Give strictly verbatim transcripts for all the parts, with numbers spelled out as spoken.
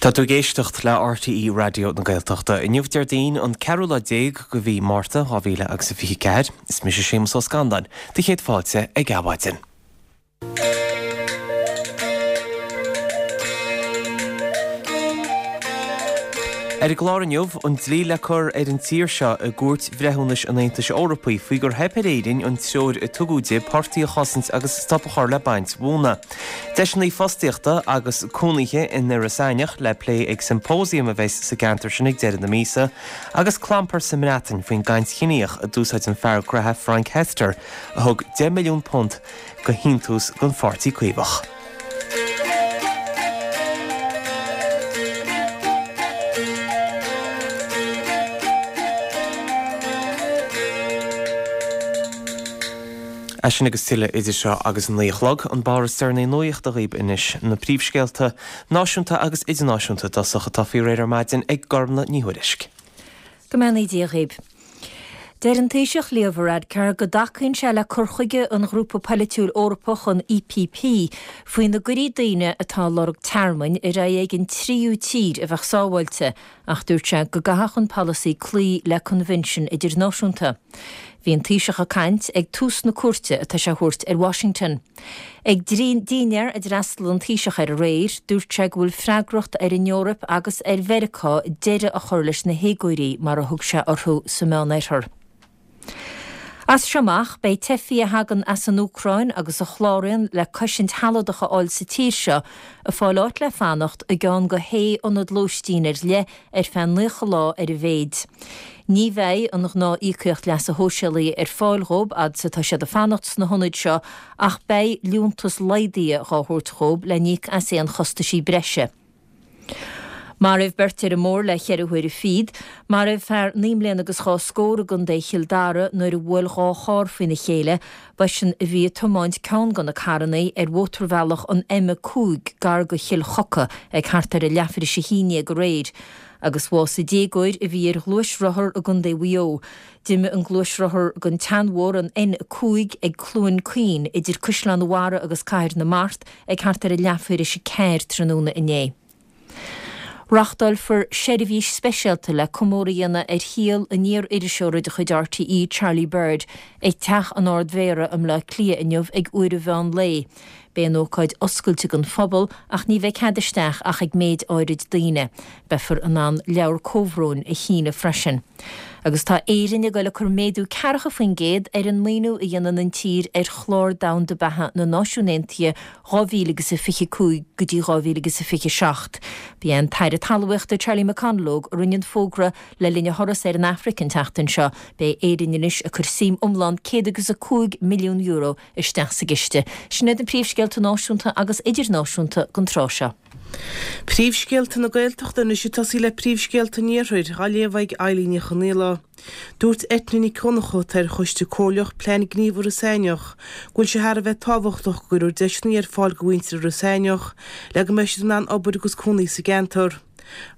Tá tú ag éisteacht le RTÉ Raidió na Gaeltachta. Inniu Déardaoin an ceathrú lá déag de mhí Márta dhá mhíle agus a fiche ceathair. Is mise Séamus Ó Scanláin, do chéad fáilte ag Adhmhaidin. Ar an gclár inniu, an dlí le cur ar an tír seo i gCúirt Bhreithiúnais an Aontais Eorpaigh faoi gur theip ar Éirinn an treoir a tugadh di portaigh a chosaint agus stop a chur le baint mhóna. Deiseanna fostaíochta agus cónaithe in Iorras Aithneach le plé ag symposium a bheas sa gceantar sin ag deireadh na míosa, agus clampar sa mBreatain faoin gcaint chiníoch a d'úsáid an fear graithe Frank Hester a thug deich milliún punt go shíntiús don Pháirtí Caomhach. É sin agus tuilleadh idir seo agus a naoi a chlog, an barr is deireanaí nuachta dhaoib anois, na príomhscéalta náisiúnta agus idirnáisiúnta i dtosach atá faoi réir ar maidin ag Gormlaith Ní Thuairisg. Go mbeannaí Dia dhaoib. Deir an Taoiseach Leo Varadkar go dtacaíonn sé le cur chuige an ghrúpa polaitiúil Eorpach an EPP faoina gcuirí daoine atá ag lorg tearmainn ar aghaidh ag an tríú tír a bheadh sábháilte ach dúirt sé go gcaithfeadh an polasaí cloí le coinbhinsin idirnáisiúnta. Bhí an Taoiseach ag caint ag tús na cuairte atá sé a thabhairt ar Washington. Ag dinnéar a d'fhreastail an Taoiseach air aréir, dúirt sé go bhfuil freagracht ar an Eoraip agus ar Mheiriceá deireadh a chur leis na héagóirí mar a thug sé orthu sa Meánoirthear. As seo amach, beidh teifigh a thagann as an Úcráin agus a chláraíonn le cosaint shealadach a fháil sa tír seo ag fáil áit le fanacht i gceann de shé ionad lóistín ar leith ar feadh naocha lá ar a mhéid. Ní bheidh an ghnáth-íocaíocht leasa shóisialaigh ar fáil dhóibh fhad is atá siad ag fanacht sna hionaid seo ach beidh liúntas laghdaithe dhá thabhairt dhóibh le n-íoc as aon chostaisí breise. Maraíodh beirt ar an mbóthar le ceithre huaire fichead. Maraíodh fear naoi mbliana agus dhá scór i gContae Chill Dara nuair a bhuail dhá charr faoina chéile. B'eisean a bhí ag tiomáint ceann de na carranna ar mhótarbhealach an M a cúig gar do Chill Choca ag thart ar a leathuair tar éis a haon déag aréir. Agus bhásaigh déagóir a bhí ar ghluaisrothar i gContae Mhaigh Eo. D'imigh an gluaisrothar den tseanbhóthar an N a cúig ag Cluain Caoin idir Caisleán an Bharraigh agus Cathair na Mart ag thart ar a leathuair tar éis a ceathair tráthnóna inné. Reáchtálfar seirbhís speisialta le comóradh a dhéanamh ar shaol an iar-iriseora de chuid RTÉ, Charlie Bird, ag Teach an Ard-Mhéara i mBleá Cliath inniu ag uair an mheán lae. Beidh an ócáid oscailte don phobal ach ní bheidh cead isteach ach ag méid áirid daoine. Beifear in ann leabhar comhbhróin a shíneadh freisin. Agus tá Éirinn ag dul ag cur méadú ceathracha faoin gcéad ar an maoiniú a dhéanann an tír ar Chlár Domhanda Beatha na Náisiún Aontaithe dhá mhíle agus a fiche cúig go dtí dhá mhíle agus a fiche seacht. Ba é an tAire Talmhaíochta Charlie McConalogue a rinne an fógra le linn a thuras ar an Afraic an tseachtain seo. Beidh Éirinn anois ag cur suim iomlán céad agus a cúig milliún euro isteach sa gciste. Sin iad na príomhscéalta náisiúnta agus idirnáisiúnta don tráth seo. Príomhscéalta na Gaeltachta anois ag tosaí le príomhscéalta an Iarthair, á léamh ag Eilín Ní Chonaola. Dúirt Eithne Nic Dhonncha, atá ar Choiste Comhairleach Plean Gníomh Iorras Aithneach, go bhfuil sé thar a bheith tábhachtach go gcuirfear deiseanna ar fáil do mhuintir Iorras Aithneach le go mbeidh siad in ann obair agus cónaí sa gceantar.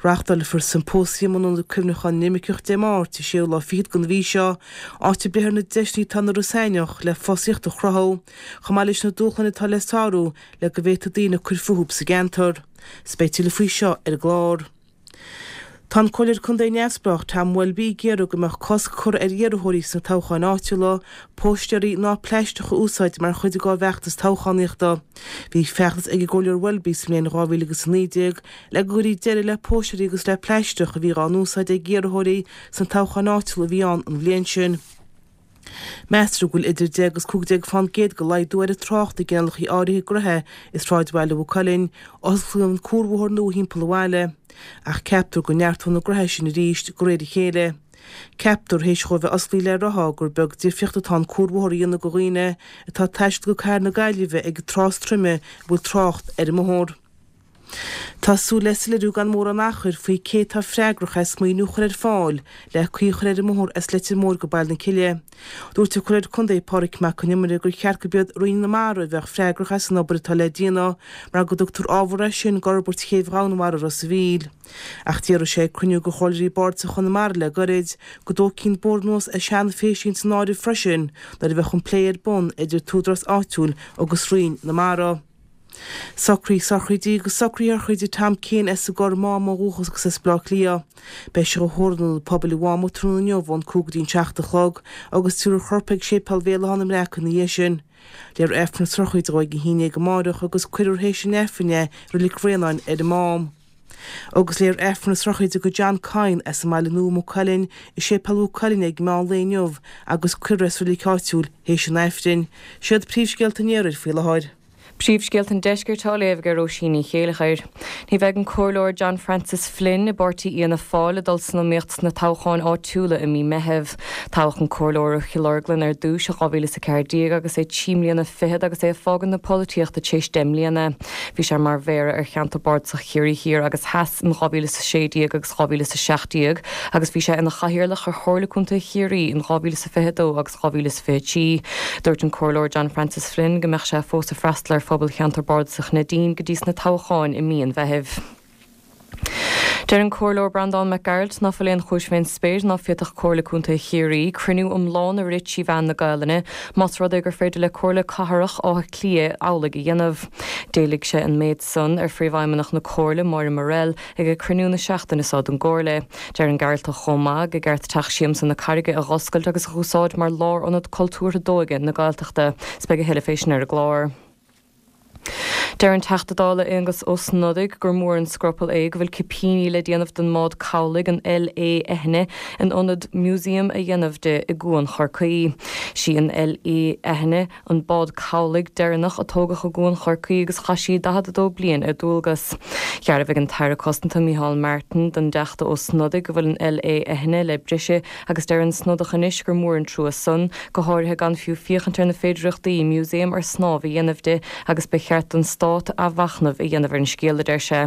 Reáchtálfar Symposium in Ionad Cuimhneacháin na nImirceach Dé Máirt, an séú lá fichead den mhí seo, áit a bpléifear na deiseanna atá in Iorras Aithneach le fostaíocht a chruthú, chomh maith leis na dúshláin atá le sárú le go bhféadfaidh daoine cur fúthu sa gceantar. 'S beidh tuilleadh faoi seo ar an gclár. Tá an Comhairleoir Contae neamhspleách Tom Welby ag iarraidh go mbeadh cosc curtha ar iarrthóirí sna toghcháin áitiúla póistéirí ná plaisteach a úsáid mar chuid dá bhfeachtas toghchánaíochta. Bhí feachtas ag an gComhairleoir Welby sa mbliain dhá mhíle agus a naoi déag le go gcuirfí deireadh le póistéirí agus le plaisteach a bhí dhá n-úsáid ag iarrthóirí sna toghcháin áitiúla a bhí ann an bhliain sin. Meastar go bhfuil idir deich agus cúig déag fán gcéad de laghdú ar an trácht i gcineálacha áirithe gnaithe i sráidbhaile Mhaigh Cuilinn ó osclaíodh an cuarbhóthar nua thimpeall an bhaile, ach ceaptar go neartóidh na gnaithe sin arís de réir a chéile. Ceaptar, théis dhó a bheith osclaithe le ráithe, gur beag difríocht atá an cuarbhóthar a dhéanamh do dhaoine atá ag taisteal go cathair na Gaillimhe ag an tráth is troime a bhfuil trácht ar an mbóthar. Tá súil le soiléiriú gan mórán achair faoi cé atá freagrach as maoiniú a chur ar fáil le caoi a chur ar an mbóthar as Leitir Móir go Baile na Cille. Dúirt an Comhairleoir Contae Pádraig Mac Con Iomaire gur cheart gurb iad Roinn na Mara a bheadh freagrach as an obair atá le déanamh mar go dtugtar ábhar é sin d'fhorbairt chéibh Dhomhanmhara Ros a' Mhíl. Ach deir sé ag cruinniú de Chomhairleoirí Bardais Chonamara le gairid go dtógfaí an bóthar anuas as Seanadh Féisín san áireamh freisin nuair a bheadh an plé ar bun idir an t-údarás áitiúil agus Roinn na Mara. Socruithe sochraide agus socruithe sochraide Tom Keane as an gCorr Mám ó dhúchas agus as Baile Átha Cliath. Beidh sé á thórramh in Ionad Pobail an Mháma tráthnóna inniu ón cúig go dtí an seacht a chlog agus tabharfar a chorp ag Séipéal Bhéal Átha na mBreac ina dhiaidh sin. Léifear Aifreann na sochraide dó ag a haon déag amáireach agus cuirfear théis an Aifrinn é i Reilig Bhraonáin ar an Mám. Agus léifear Aifreann na sochraide do John Coyne as an mBaile Nua, Maigh Cuilinn, i Séipéal Mhaigh Cuilinn ag meán lae inniu agus cuirfear é sa reilig áitiúil théis an Aifrinn. Siad príomhscéalta an iarthair faoi láthair. Príomhscéalta an Deiscirt á léamh ag Róisín Ní Chéilleachair. Ní bheidh an Comhairleoir John Francis Flynn i bpáirtí Fhianna Fáil ag dul san iomaíocht sna toghcháin áitiúla i mí Meithimh. Toghadh an Comhairleoir ó Chill Orglan ar dtús i dhá mhíle is a ceathair déag agus é trí mbliana fichead agus é ag fágaint na polaitíochta tar éis deich mbliana. Bhí sé mar mhéara ar cheantar bardasach Chiarraí Thiar agus Theas in dhá mhíle is a sé déag agus dhá mhíle is a seacht déag agus bhí sé ina chathaoirleach ar Chomhairle Contae Chiarraí in dhá mhíle is a fiche dó agus dhá mhíle is fiche trí. Dúirt an Comhairleoir John Francis Flynn go mbeadh sé fós ag freastal ar phobal cheantar bardasach Neidín go dtí sna toghcháin i mí an Mheithimh. Deir an Comhairleoir Breandán Mac Gearailt ná fuil aon chúis fén spéir ná féadfadh Comhairle Contae Chiarraí cruinniú iomlán a rith trí mheán na Gaelainne más rud é gur féidir le Comhairle Cathrach Átha Cliath amhlaidh a dhéanamh. D'éiligh sé an méid san ar Phríomhfheidhmeannach na Comhairle Máire Morrell ag a cruinniú na seachtaine seo den gComhairle. Deir an Gearaltach chomh maith gur cheart Teach Siamsa na Carraige a dh'oscailt agus a dh'úsáid mar lárionad cultúrtha d'óige na Gaeltachta. 'S beidh a thuilleadh fé sin ar an gclár. Deir an Teachta Dála Aengus Ó Snodaigh gur mór an scrupall é go bhfuil cipíní le déanamh den mbád cabhlaigh an L.A. Eithne in ionad músaem a dhéanamh de i gCuan Chorcaí. Sí an L.A. Eithne an bád cabhlaigh deireanach a tógadh i gCuan Chorcaí agus chaith sí daichead a dó bliain ar dualgas. Dhearbhaigh an tAire Cosanta Micheál Martin don dTeachta Ó Snodaigh go bhfuil an L.A. Eithne le briseadh agus deir an Snodach anois gur mór an trua san, go háirithe gan fiú féachaint ar na féidearthachtaí músaem ar snámh a dhéanamh de agus ba cheart don stát athmhachnamh a dhéanamh ar an scéal, a deir sé.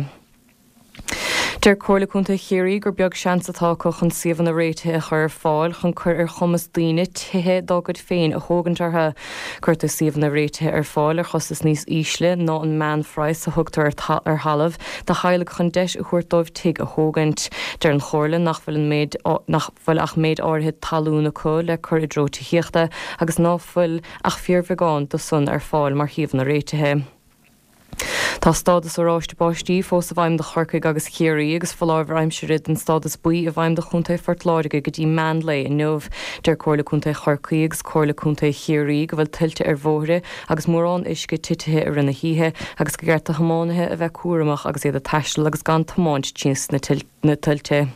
Deir Comhairle Contae Chiarraí gur beag seans atá acu chun suíomhanna réitithe a chur ar fáil chun cur ar chumas daoine tithe dá gcuid féin a thógaint orthu. Cuirtear suíomhanna réitithe ar fáil ar chostas níos ísle ná an meánphraghas a thugtar ar thalamh do theaghlaigh chun deis a thabhairt dóibh tigh a thógaint. Deir an Chomhairle nach bhfuil an méid nach bhfuil ach méid áirithe talún acu le cur i dtreo tithíochta agus ná fuil ach fíorbheagán de san ar fáil mar shuíomhanna réitithe. Tá stádas oráiste báistí fós i bhfeidhm do Chorcaigh agus Ciarraí agus foláireamh aimsire den stádas buí i bhfeidhm do Chontae Phort Láirge go dtí meán lae inniu. Deir Comhairle Contae Chorcaí agus Comhairle Contae Chiarraí go bhfuil tuilte ar bhóithre agus mórán uisce titithe i rith na hoíche agus gur cheart do thiománaithe a bheith cúramach agus iad ag taisteal agus gan tiomáint trí na tuilte.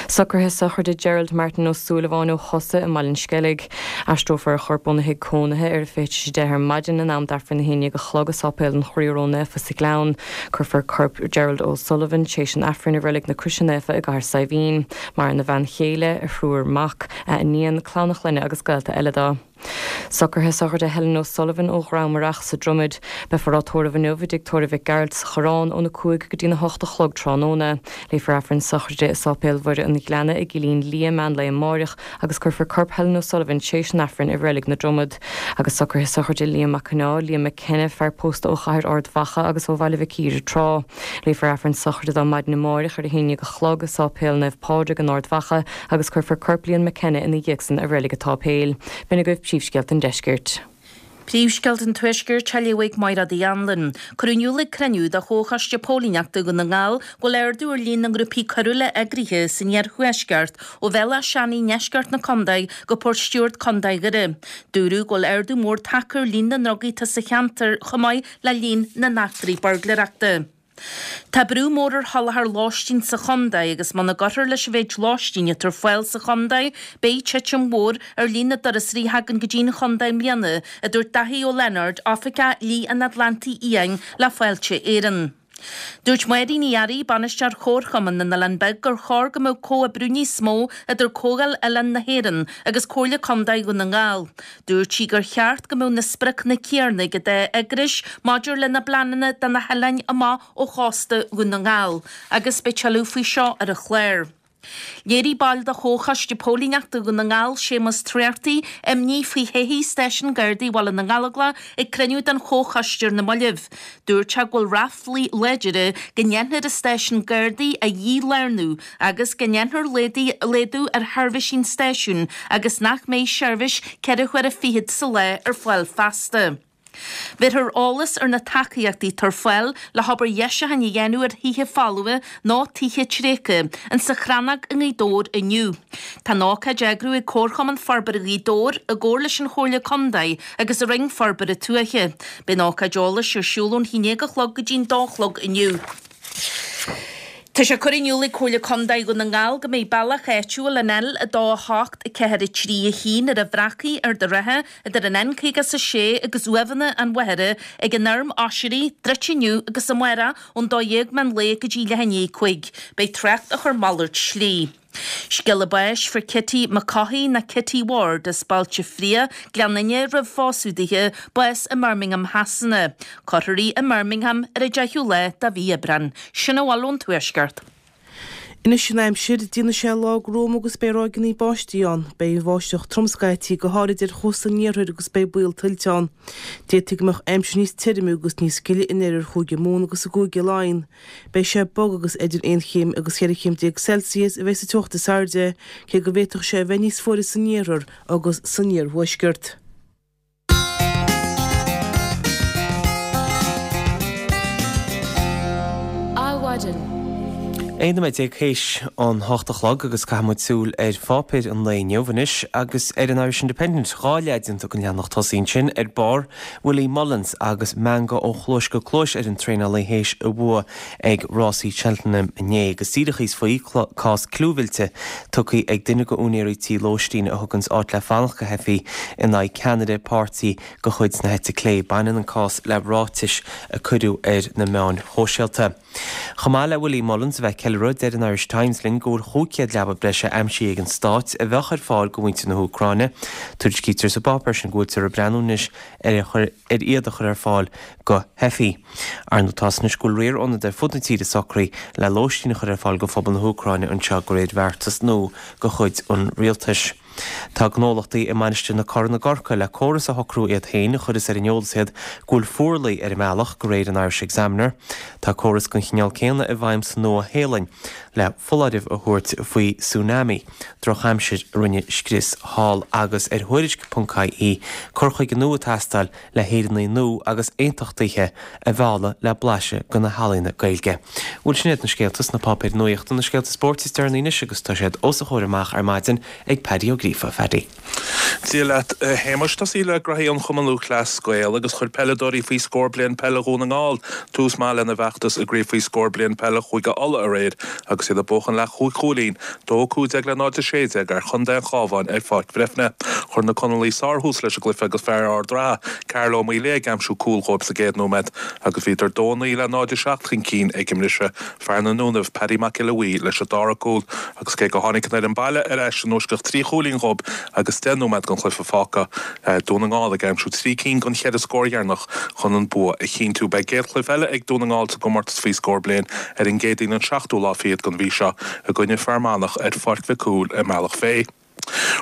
Socruithe sochraide Gerald Martin Ó Súilleabháin ó Chosa i mBaile an Sceilg. Aistreofar a chorp óna thigh cónaithe ar a fiche tar éis a deich ar maidin in am d'Aifreann a haon déag a chlog i Sáipéal an Chroí Ró-Naofa sa Ghleann. Cuirfear corp Gerald O'Sullivan tar éis an Aifrinn i Reilig na Croise Naofa i gCathair Saidhbhín. Maireann a bhean chéile, a thriúr mac, a iníon, clann a chlainne agus gaolta eile dó. Socruithe sochraide Helen O'Sullivan ó Dhramaireach sa Dromad. Beifear á tórramh inniu i dtigh tórraimh Mhic Gearailt sa Choireán óna cúig go dtína hocht a chlog tráthnóna. Léifear Aifreann sochraide i Sáipéal Mhuire an Ghleanna i gCillín Liath meán lae amáireach agus cuirfear corp Helen O'Sullivan tar éis an Aifrinn i Reilig na Dromad. Agus socruithe sochraide Liam Mac Conná, Liam McKenna, fear pósta ó chathair Ard Mhacha agus ó Bhaile Mhic Íre tráth. Léifear Aifreann sochraide dó maidin amáireach ar a haon déag a chlog i Sáipéal Naomh Pádraig in Ard Mhacha agus cuirfear corp Liam McKenna ina dhiaidh san i Reilig an tSáipéil. B'in agaibh príomhscéalta an deiscirt. Príomhscéalta an Tuaiscirt á léamh ag Máire Uí Anluain. Cuireadh in iúl ag cruinniú de Chomhchoiste Póilíneachta Dhún na nGall go bhfuil ardú ar líon na ngrúpaí coiriúla eagraithe san iarthuaisceart ó Bhéal Átha Seanaidh i ndeisceart na contae go Port Stewart Contae Dhoire. Dúradh go bhfuil ardú mór tagtha ar líon na ndrugaí atá sa cheantar chomh maith le líon na n-eachtraí buirgléireachta. Tá brú mór ar sholáthar lóistín sa chontae agus muna gcuirfear leis an mhéid lóistín atá ar fáil sa chontae, beidh titim mhór ar líon na dturasóirí a thagann go dtí an chontae i mbliana, a dúirt Daithí Ó Lionáird, Oifigeach Shlí an Atlantaigh Fhiáin le Fáilte Éireann. Dúirt Máirín Uí Fhearraigh, Bainisteoir Chomharchumann na nOileán Beag gur chóir go mbeadh comhoibriú níos mó idir Comhdháil Oileán na hÉireann agus Comhairle Contae Dhún na nGall. Dúirt sí gur cheart go mbeadh na spriocanna céanna ag an dá eagrais maidir lena bpleananna do na hoileáin amach ó chósta Dhún na nGall agus beidh tuilleadh faoi seo ar an chlár. Léirigh ball de Chomhchoiste Póilíneachta Dhún na nGall, Séamus Treorcthaí, imní faoi thodhchaí Stáisiún Gardaí Bhaile na nGallóglach ag cruinniú den Chomhchoiste ar na mallaibh. Dúirt sé go bhfuil ráflaí láidire go ndéanfar an stáisiún Gardaí a dhílárnú agus go ndéanfar laghdú ar sheirbhísí an stáisiúin agus nach mbeidh seirbhís ceithre huaire fichead sa lá ar fáil feasta. Bhéarfar eolas ar na tacaíochtaí atá ar fáil le hobair dheisiúcháin a dhéanamh ar thithe folmha nó tithe tréigthe insa Chrannóg i nGaoth Dobhair inniu. Tá an ócáid á eagrú ag Comharchumann Forbartha Ghaoth Dobhair i gcomhar leis an Chomhairle Contae agus an Roinn Forbartha Tuaithe. Beidh an ócáid eolais ar siúl ón haon déag a chlog go dtí'n dó a chlog inniu. Tá sé curtha in iúl ag Comhairle Contae Dhún na nGall go mbeidh bealach áitiúil an L a dó a hocht a ceathair a trí a haon ar an Bhreacaigh, Ard an Rátha, idir an N caoga is a sé agus Uaimheanna an Mhachaire ag an Fheirm Oisrí, druidte inniu agus amárach ón dó dhéag meán lae go dtí leath i ndiaidh a cúig. Beidh trácht á chur malairt slí. Scéala báis fuair Kitty McCaughey ná Kitty Ward as Bailte Fraoch, Gleann Fhinne roimh phósadh dithe, bás i mBirmingham Shasana. Cuirfear í i mBirmingham ar an deichiú lá de mhí Aibreán. Sin a bhfuil ón Tuaisceart. Anois an aimsir, déanfaidh sé lá gruama agus beidh ráigeanna báistí ann. Beidh an bháisteach trom scaití, go háirid ar chósta an iarthair agus beidh baol tuilte ann. D'fhéadfadh go mbeadh aimsir níos tirime agus níos gile in oirthear Chúige Mumhan agus i gCúige Laighean. Beidh sé bog agus idir aon chéim agus cheithre chéim déag Celsius a bheidh sa teocht is airde, cé go bhféadfadh sé a bheith níos fuaire san iarthar agus san iarthuaisceart. Adhmhaidin. Aon nóiméad déag théis an hocht a chlog agus caithfidh muid súil ar pháipéir an lae inniu anois agus ar an Irish Independent. Dhá leath déanta den leathanach tosaigh ansin ar barr, Willie Mullins agus meangadh ó chluais go cluais ar an traenálaí théis a bhua ag rásaí Cheltenham inné. Agus díreach thíos faoi, cás clúmhillte tugtha ag duine de úinéirí tí lóistín a thuganns áit le fanacht go theifigh in aghaidh ceannaire páirtí de chuid na heite clé. Baineann an cás le ráitis a cuireadh ar na meáin shóisialta. Chomh maith le Willie Mullins a bheith ag ceiliúradh, deir an Irish Times linn go bhfuil chúig chéad leaba breise aimsithe ag an Stát a bheadh ar fáil go mhuintir na hÚcráine. Tuairiscítear sa bpáipéar sin go bhfuiltear ag breathnú anois ar ar iad a chur ar fáil go theifigh. Ar ndóigh tá anois go bhfuil riar ionad ar fud na tíre socraithe le lóistín a chur ar fáil go phobal na hÚcráine anseo de réir bheartas nua de chuid an rialtais. Tá gnólachtaí i Mainistir na Corann i gCorcaigh le córas a shocrú iad féin a chuireas ar an eolas iad go bhfuil fuarlaigh ar a mbealach, de réir an Irish Examiner. Tá córas den chineál céanna i bhfeidhm sa Nua-Shéalainn le foláireamh a thabhairt faoi tsunami, drochaimsir a rinne scrios thall, agus ar Thuairisc ponc ie cur chuige nua ag teastáil le hÉireannaigh nua agus aontachtaithe a mhealladh le blaiseadh de na healaíona Gaeilge. Bhuel, sin iad na scéalta sna páipéir nuachta, na scéalta spóirt is deireanaí anois agus tá siad os a chomhair amach ar maidin ag Paddy Ó Gríofa. Phaddy. Dia leat, a Shéamais. Tosaí le graithí an Chumann Lúthchleas Gael agus chuir peileadóirí faoi scór bliain peile Dhún na nGall tús maith lena bhfeachtas i gCraobh faoi Scór Bliain Peile Chúige Uladh aréir agus iad ag buachan le chúig chúilín, dó a cúig déag le náid a sé déag ar Chontae an Chabháin ar Pháirc Bhreifne. Chuir na Conallaigh sárthús leis an gcluiche agus fear Ard an Rátha, Carl Ó Maolaodha ag aimsiú cúl dhóibh sa gcéad nóiméad agus bhíodar dó a naoi le náid a seacht chun cinn ag an mbriseadh. Fear na nDúnaibh, Paddy Mac Giolla Bhuí leis an dara cúl agus cé go tháinig an fhoireann baile ar ais i ndeisceart trí chúilín dhóibh agus deich nóiméad den chluiche fágtha, Dún na nGall ag aimsiú trí cinn den cheithre scór dheireanach chun an bua a chinntiú. Beidh a gcéad chluiche eile ag Dún na nGall sa gcomórtas faoi scór bliain ar an gCéadaoin an seachtú lá fichead den mhí seo i gcoinne Fear Manach ar Pháirc Mhic Cumhaill i mBealach Féich.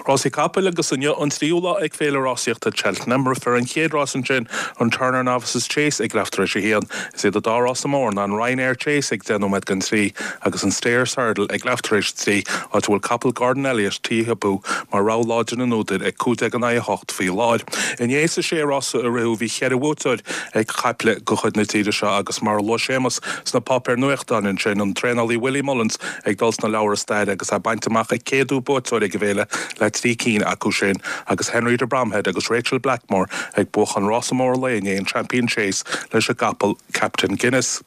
Rásaí capaill agus inniu an tríú lá ag Féile Rásaíochta Cheltenham. Rithfear an chéad rás ansin, an Turner Novices Chase ag leath tar éis a haon. Is iad an dá rása mór ná an Ryanair Chase ag deich nóiméad don trí agus an Stayers Hurdle ag leath tar éis a trí, áit a bhfuil capall Gordon Elliott, Taihapu, mar rogha láidir na n-údar ag cúig déag in aghaidh a hocht faoi láthair. Inné sa sé rása a ritheadh bhí cheithre bhuaiteoir ag caiple de chuid na tíre seo agus mar a luaigh Séamus sna páipéir nuachtáin ansin, an traenálaí Willie Mullins ag dul sna leabhra staire agus é ag baint amach a céadú buaiteoir ag an bhféile le trí cinn acu sin agus Henry de Bromhead agus Rachael Blackmore ag buachan rása mór an lae inné, an Champion Chase leis an gcapall Captain Guinness.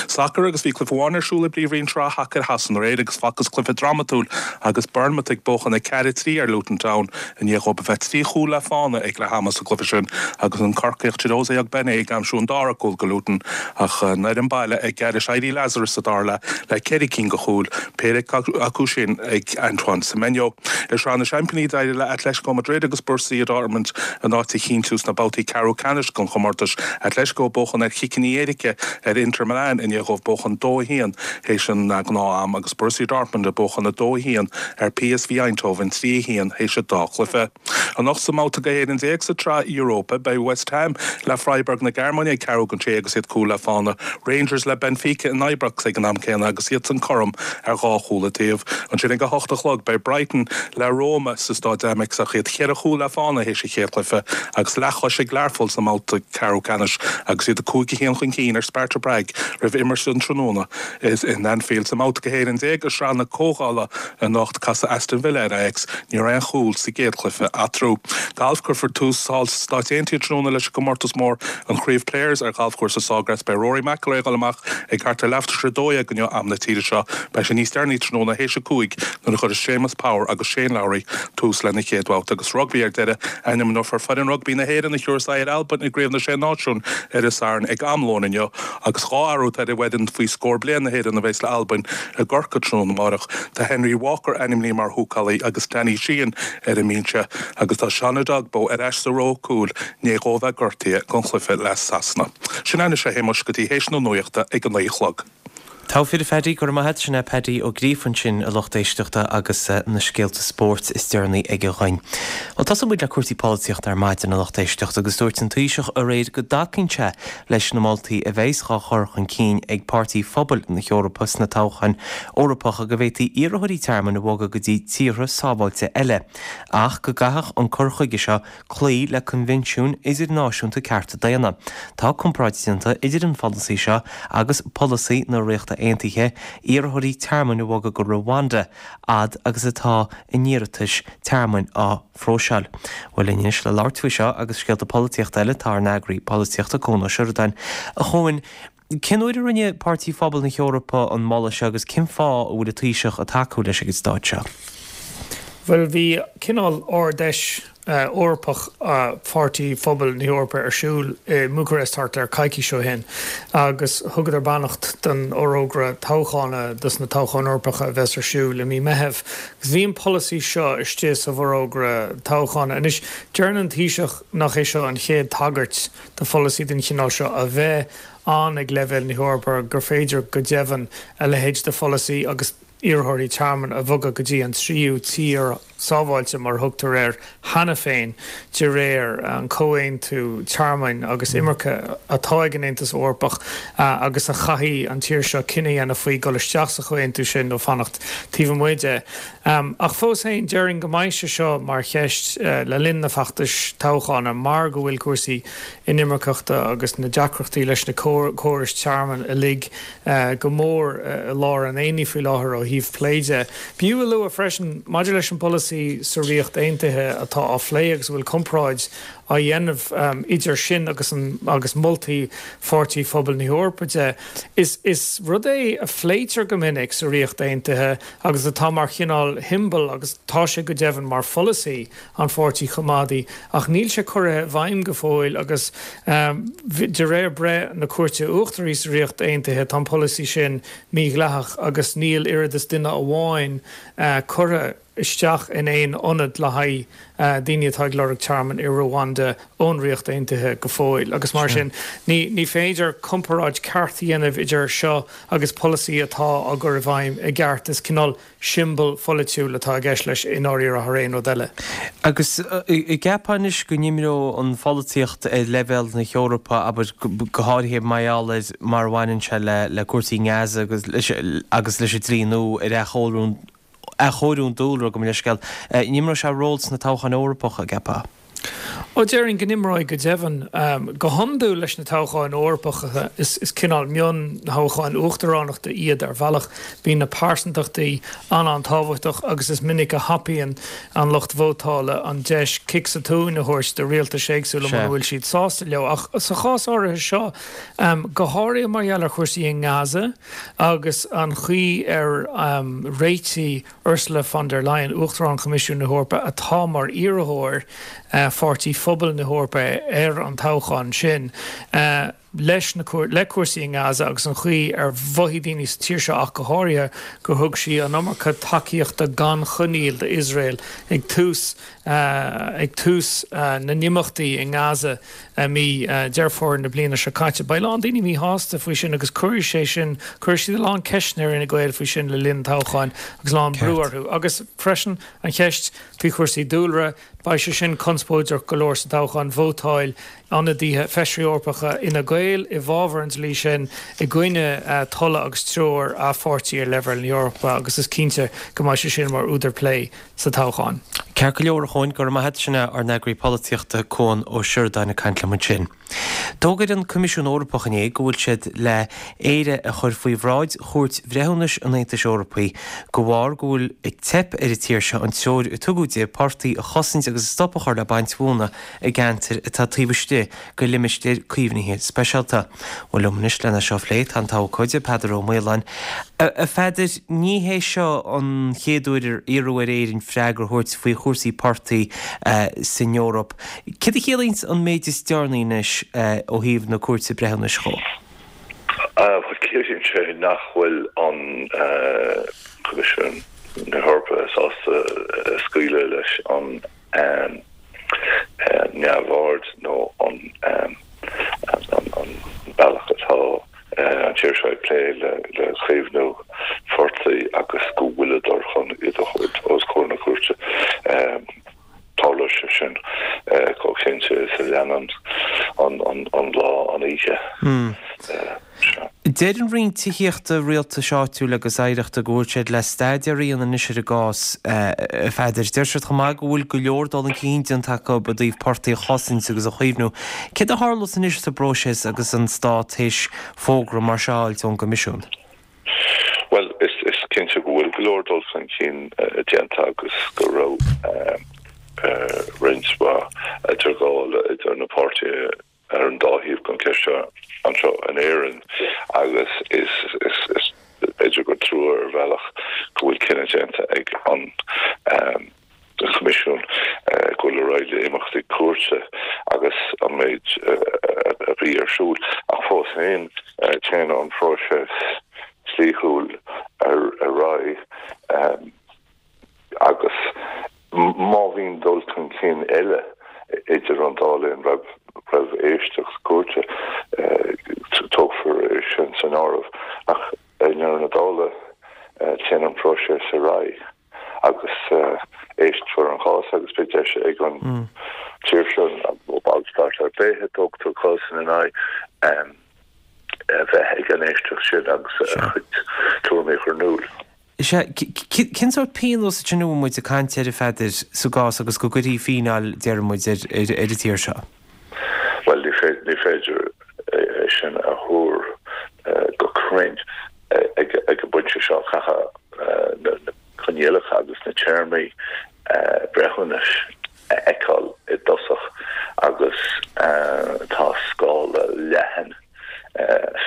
Sacar agus bhí cluiche amháin ar siúl i bPríomhroinn Shraith Shacair Shasana aréir agus facthas cluiche drámatúil agus Bournemouth ag buachan a ceathair a trí ar Luton Town i ndiaidh dhóibh a bheith trí chúl le fána ag leath ama sa gcluiche sin agus an Corcaíoch Chiedozie Ogbene ag aimsiú an dara cúl go Luton ach an fhoireann baile ag gearradh éirí Lazarus sa dara leath le ceithre cinn de chúil, péire acu sin ag Antoine Semenyo. I Sraith na Seaimpíní d'éirigh le Atletico Madrid agus Borussia Dortmund a n-áit a chinntiú sna babhtaí ceathrú ceannais den chomórtas. Atletico ag buachan ar chiceanna éirice ar Inter Milan. Milan i ndiaidh dóibh buachan dó a haon théis an gnáth-am agus Borussia Dortmund ag buachan a dó a haon ar P S V Eindhoven trí a haon théis an dá chluiche. Anocht sa mbabhta go haon déag sa tSraith Europa beidh West Ham le Freiburg na Gearmáine ag ceathrú don sé agus iad cúl le fána. Rangers le Benfica in Ibrox ag an am céanna agus iad san cothrom ar dhá chúl an taobh. Ansin ag a hocht a chlog beidh Brighton le Roma sa Staid Amex ach iad ceithre chúl le fána théis an chéad chluiche agus leathchois ag Learpholl sa mbabhta ceathrú ceannais agus iad a cúig a haon chun cinn ar Sparta Prague roimh imirt an tráthnóna is in Anfield sa mbabhta go haon déag i Sraith na Comhdhála anocht casfaidh Aston Villa ar Ajax ní raibh aon chúl sa gcéad chluiche eatarthu. Galf cuirfear tús thall sna Stáit Aontaithe tráthnóna leis an gcomórtas mór an Chraobh Players ar ghalfchúrsa Sawgrass beidh Rory McIlroy ag dul amach ag thart ar leathuair tar éis a dó dhéag inniu am na tíre seo beidh sé níos deireanaí tráthnóna théis a cúig nuair a chuirfidh Séamus Power agus Shane Lowry tús lena chéad bhabhta agus rugbaí ar deireadh ainmneofar foireann rugbaí na hÉireann a thabharfas aghaidh ar Albain i gCraobh na Sé Náisiún ar an Satharn ag am lóin inniu agus dhá athrú ar fhoireann faoi scór bliain na hÉireann a bheas le Albain i gCorcaigh tráthnóna amárach. Tá Henry Walker ainmnithe mar húcálaí agus Danny Sheehan ar an mbinse agus tá Sean Edogbo ar ais sa ró cúil i ndiaidh dó bheith gortaithe don chluiche le Sasana. Sin é anois a Shéamuis go dtí théis na nuachta ag an naoi a chlog. Togha fir Phaddy go maith sin é Paddy Ó Gríofa ansin a lucht éisteachta agus na scéalta spóirt is deireanaí aige dhúinn. Well tosóidh muid le cúrsaí polaitíochta ar maidin a lucht éisteachta agus dúirt an Taoiseach aréir go dtacaíonn sé leis na moltaí a bheas á chur chun cinn ag Páirtí Phobail na hEorpa sna toghcháin Eorpacha go bhféadfaí iarrthóirí tearmainn a bhogadh go dtí tíortha sábháilte eile, ach go gcaithfeadh an cur chuige seo cloí le coinbhinsiúin idirnáisiúnta cearta daonna. Tá comparáid déanta idir an pholasaí seo agus polasaí na Ríochta Aontaithe iarrthóirí tearmainn a bhogadh go Rwanda fhad agus atá a n-iarratais tearmainn á phróiseáil. Well anois le labhairt faoi seo agus scéalta polaitíochta eile tá ár n-eagraí polaitíochta Cuan Ó Seireadáin. A Chuain, cén uair a rinne Páirtí Phobal na hEorpa an moladh seo agus cén fáth a bhfuil an Taoiseach ag tacú leis ag an staid seo. Well bhí cineál Ard-Fheis Eorpach Pháirtí Phobal na hEorpa ar siúl i mBucarest thart ar coicís ó shin agus thugadar beannacht don fhorógra toghcháin dos na toghcháin Eorpacha a bheas ar siúl i mí Mheithimh. Agus bhí an polasaí seo istigh sa bhforógra toghcháin. Anois deireann an Taoiseach nach é seo an chéad tagairt do pholasaí den chineál seo a bheith ann ag leibhéal na hEorpa gur féidir go deimhin a leithéid de pholasaí agus iarrthóirí tearmainn a bhogadh go dtí an tríú tír sábháilte mar thugtar air cheana féin de réir an comhaontú tearmainn agus imirce atá ag an Aontas Eorpach agus a chaithfidh an tír seo cinneadh a dhéanamh faoi dul isteach sa chomhaontú sin nó fanacht taobh amuigh de. Ach fós féin déarfainn go mbeidh sé seo mar cheist le linn na feachtais toghcháin mar go bhfuil cúrsaí inimirceachta agus na deacrachtaí leis na córais tearmainn uilig go mór i lár an aonaigh faoi láthair ó thaobh plé de. B'fhiú a lua freisin maidir leis an bpolasaí sa Ríocht Aontaithe atá á phlé agus bhfuil comparáid á dhéanamh idir sin agus an agus moltaí Pháirtí Phobal na hEorpa de. Is is rud é a phléitear go minic sa Ríocht Aontaithe agus atá mar chineál shiombail agus tá sé go deimhin mar pholasaí an Pháirtí Choimeádaigh ach níl sé curtha i bhfeidhm go fóill agus um, de réir breith na Cúirte Uachtaraí sa Ríocht Aontaithe tá an polasaí sin mídhleathach agus níl oiread is duine amháin uh, curtha isteach in aon ionad le haghaidh uh, daoine atá ag lorg tearmann i Rwanda ón Ríocht Aontaithe go fóill agus mar sin ní, ní féidir comparáid ceart a dhéanamh idir seo agus polasaí atá á gcur i bhfeidhm i gceart is cineál siombail pholaitiúil atá i gceist leis i ndáiríre thar aon rud eile. Agus an gceapfá anois go n-imreodh an pholaitíocht ar leibhéal na hEorpa abair go háirithe mar mar a bhaineann sé le le cúrsaí Gaza agus agus leis an dlí nua ar athchóiriú athchóiriú an dúlra go leisceil. An imreoidh sé ról sna toghcháin Eorpacha an gceapfá. Ó déarfainn go n-imreoidh go deimhin um, go hiondúil leis na toghcháin Eorpacha is, is cineál mionthoghcháin uachtaránachta iad ar bhealach bíonn na pearsantachtaí an an-tábhachtach agus is minic a thapaíonn an lucht vótála an deis cic sa tóin a thabhairt do rialtais éagsúla mura bhfuil siad sásta leo ach sa chás áirithe seo um, go háirithe mar gheall ar chúrsaí in Gaza agus an chaoi ar um, réitigh Ursula von der Leyen Uachtarán Choimisiún na hEorpa atá mar iarrthóir uh, Pháirtí Phobal na hEorpa ar an toghchán sin. Uh, leis na le cúrsaí i nGaza agus an chaoi ar mhothaigh daoine sa tír seo ach go háirithe gur thug sí an iomarca tacaíochta gan choinníoll d'Iosrael ag tús ag tús na n-imeachtaí i nGaza mí Deireadh Fómhair na bliana seo caite. Beidh a lán daoine míshásta faoi sin agus cuirfidh sé sin cuirfidh siad a lán ceisteanna ar Fhine Gael faoi sin le linn an toghcháin agus a lán brú orthu. Agus freisin an cheist faoi chúrsaí dúlra, beidh sé sin conspóideach go leor sa toghchán, vótáil ionadaithe feisirí Eorpacha Fhine Gael i bhfabhar an dlí sin i gcoinne tola agus treoir a pháirtí ar leibhéal na hEorpa agus is cinnte go mbeidh sé sin mar údar plé sa toghchán. Ceart go leor a Chuain, go raibh maith agat, sin é ár n-eagraí polaitíochta Cuan Ó Seireadáin ag caint liom ansin. D'fhógair an Coimisiún Eorpach inné go bhfuil siad le Éire a chur faoi bhráid Chúirt Bhreithiúnais an Aontais Eorpaigh de bharr go bhfuil ag teip ar an tír seo an treoir a tugadh di portaigh a chosaint agus stop a chur le baint mhóna i gceantair atá taobh istigh de limistéir caomhnaithe speisialta. Bhuel liom anois lena seo a phlé tá an t-abhcóide Peadar Ó Maoláin. A Pheadair, ní hé seo an chéad uair ar iarradh ar Éirinn freagra a thabhairt faoi chúrsaí portaigh san Eoraip. Céard a chiallaíonns an méid is deireanaí anois ó thaobh na Cúirte Breithiúnais dhó? Bhuel, ciallaíonn sé nach bhfuil an Coimisiún na hEorpa sásta scaoileadh leis an neamhaird nó an bealach atá an tír seo ag plé le caomhnú phortaigh agus go bhfuileadar chun iad a thabhairt os comhair na cúirte. Tarlóidh sé sin chomh cinnte is a leanann an lá an oíche. Deir an Roinn Tithíochta, Rialtais Áitiúil agus Oidhreachta go bhfuil siad le staidéar a dhéanamh anois ar an gcás, a Pheadair. Deir siad chomh maith go bhfuil go leor dul chun cinn déanta acu i dtaobh portaigh a chosaint agus a chaomhnú. Céard a tharlós anois sa bpróiseas agus an Stát théis fógra mar seo a fháilt ón gCoimisiún? Bhuel, is cinnte go bhfuil go leor dul chun cinn déanta agus go raibh roinnt mhaith idirghabhála idir na páirtithe ar an dá thaobh den cheist seo anseo in Éirinn agus is b'fhéidir gur trua ar bhealach go bhfuil cinneadh déanta ag an Coimisiún dul ar aghaidh le imeachtaí cúirte agus an méid a bhí ar siúl ach fós féin téann an próiseas dlíthiúil ar aghaidh agus má bhíonn dul chun cinn eile idir an dá linn roimh roimh éisteacht cúirte, tógfar é sin san áireamh. Ach i ndeireadh na dála, téann an próiseas ar aghaidh agus éistfear an cás agus beidh deis ag an tír seo, nó ballstát ar bith a dtógtar cás ina n-aghaidh, a bheith ag an éisteacht sin agus a chuid tuairimí a chur in iúl. Sea, cén sórt pionós ansin a bhfuil muid ag caint air, a Pheadair, sa gcás agus go gcuirfí fíneáil, déarfaidh muid, ar an tír seo? Bhuel, ní féidir é sin a thuar go cruinn ag an bpointe seo. Caithfidh na coinníollacha agus na téarmaí breithiúnais a fheiceáil i dtosach agus tá scála leathan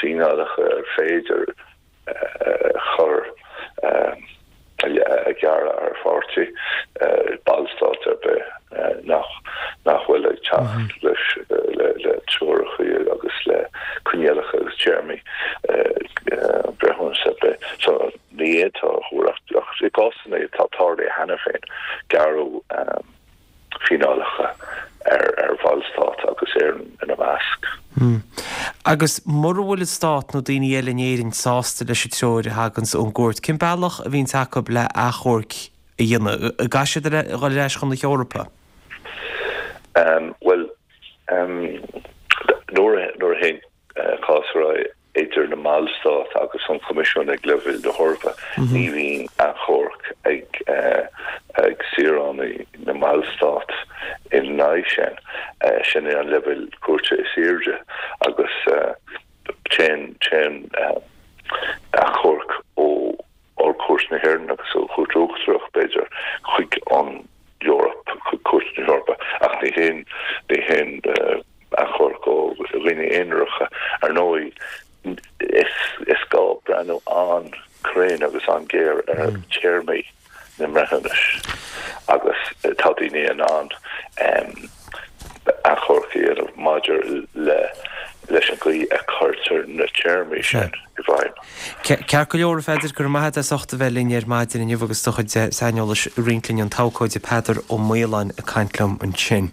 fíneálacha ar féidir a chur a ghearradh ar pháirtí, Ballstát ar bith nach nach bhfuil ag teacht leis le treoracha agus le coinníollacha agus téarmaí breithiúnas ar bith. So ní fhéadfá a thuar ach i gcásanna atá tarlaithe cheana féin, gearradh fíneálacha ar Bhallstát agus Éirinn ina measc. Agus mura bhfuil an Stát nó daoine eile in Éirinn sásta leis an treoir a thaganns ón gcúirt, cén bealach a bhíonns acu le achomharc a dhéanamh? An gcaithfidh siad a dhul ar ais chun na hEorpa? Bhuel, nuair a théann cás ar aghaidh, idir na mBallstát agus an Coimisiún ag leibhéal na hEorpa. Ní bhíonn achomharc ag ag saoránaigh na mBallstát ina aghaidh sin. Sin é an leibhéal cúirte is airde agus téann téann achomharc ó Ard-Chúirt na hÉireann agus ó Chúirt Uachtarach, b'fhéidir, chuig an Eoraip, chuig Cúirt na hEorpa, ach ní théann ní théann achomharc ó dhaoine aonaracha. Ar ndóigh, is is gá breathnú an-chruinn agus an-ghéar ar théarmaí na mbreithiúnas agus tá daoine in ann achomharc a dhéanamh maidir le leis an gcaoi a cuirtear na téarmaí sin i bhfeidhm. Ceart go leor a Pheadair, go raibh maith agat as ucht a bheith linn ar maidin inniu agus do chuid saineolais a roinnt linn an t-abhcóide Peadar Ó Maoláin ag caint liom ansin.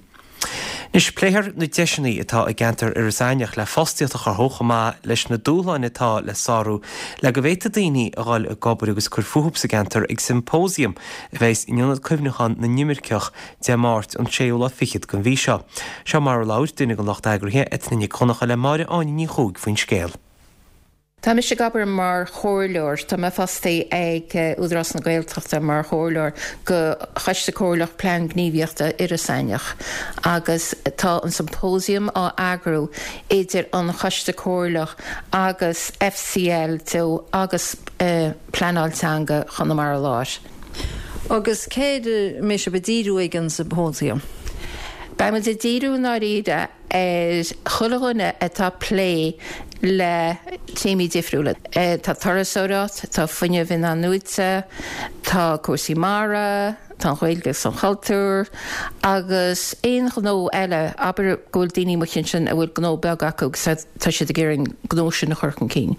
Anois, pléifear na deiseanna atá i gceantar Iorras Aithneach le fostaíocht a chruthú chomh maith leis na dúshláin atá le sárú le go bhféadfaidh daoine a dhul ag obair agus cur fúthu sa gceantar ag symposium a bheas in Ionad Cuimhneacháin na nImirceach Dé Máirt an séú lá fichead den mhí seo. Seo mar a labhair duine den lucht eagraithe, Eithne Nic Dhonncha le Máire Áine Ní Chuaig faoin scéal. Tá mise ag obair mar chomhairleoir, tá mé fostaithe ag Údarás na Gaeltachta mar chomhairleoir go Choiste Comhairleach Plean Gníomhaíochta Iorras Aithneach agus tá an symposium á eagrú idir an Choiste Comhairleach agus FCL Teo agus Pleanáil Teanga Chonamara Láir. Agus céard a mbeidh sibh ag díriú ag an symposium? Beidh muid ag díriú i ndáiríre ar chuile dhuine atá ag plé le téamaí difriúla. Tá turasóireacht, tá fuinneamh in-athnuaite, tá cúrsaí mara, tá an Ghaeilge agus an cultúr, agus aon ghnó eile, abair go bhfuil daoine amuigh ansin a bhfuil gnó beag acu agus tá siad ag iarraidh an gnó sin a chur chun cinn.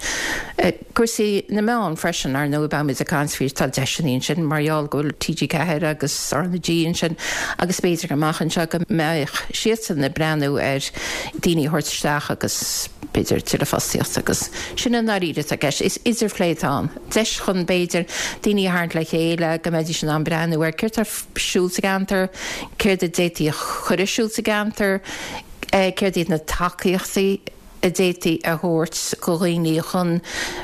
Cúrsaí na meán freisin, ar ndóigh, beimid ag caint faoi, tá deiseanna ansin mar gheall go bhfuil TG Ceathair agus RnaG ansin agus b'fhéidir amach anseo go mbeadh siadsan ag breathnú ar daoine a thabhairt isteach agus b'fhéidir tuilleadh fostaíochta agus sin i ndáiríre atá i gceist. Is idirphlé atá ann. Deis chun b'fhéidir daoine a tharraingt le chéile go mbeidís in ann breathnú ar céard atá ar siúl sa gceantar, céard a d'fhéadfaí a chur ar siúl sa gceantar, céard iad na tacaíochtaí a d'fhéadfaí a thabhairt go dhaoine chun,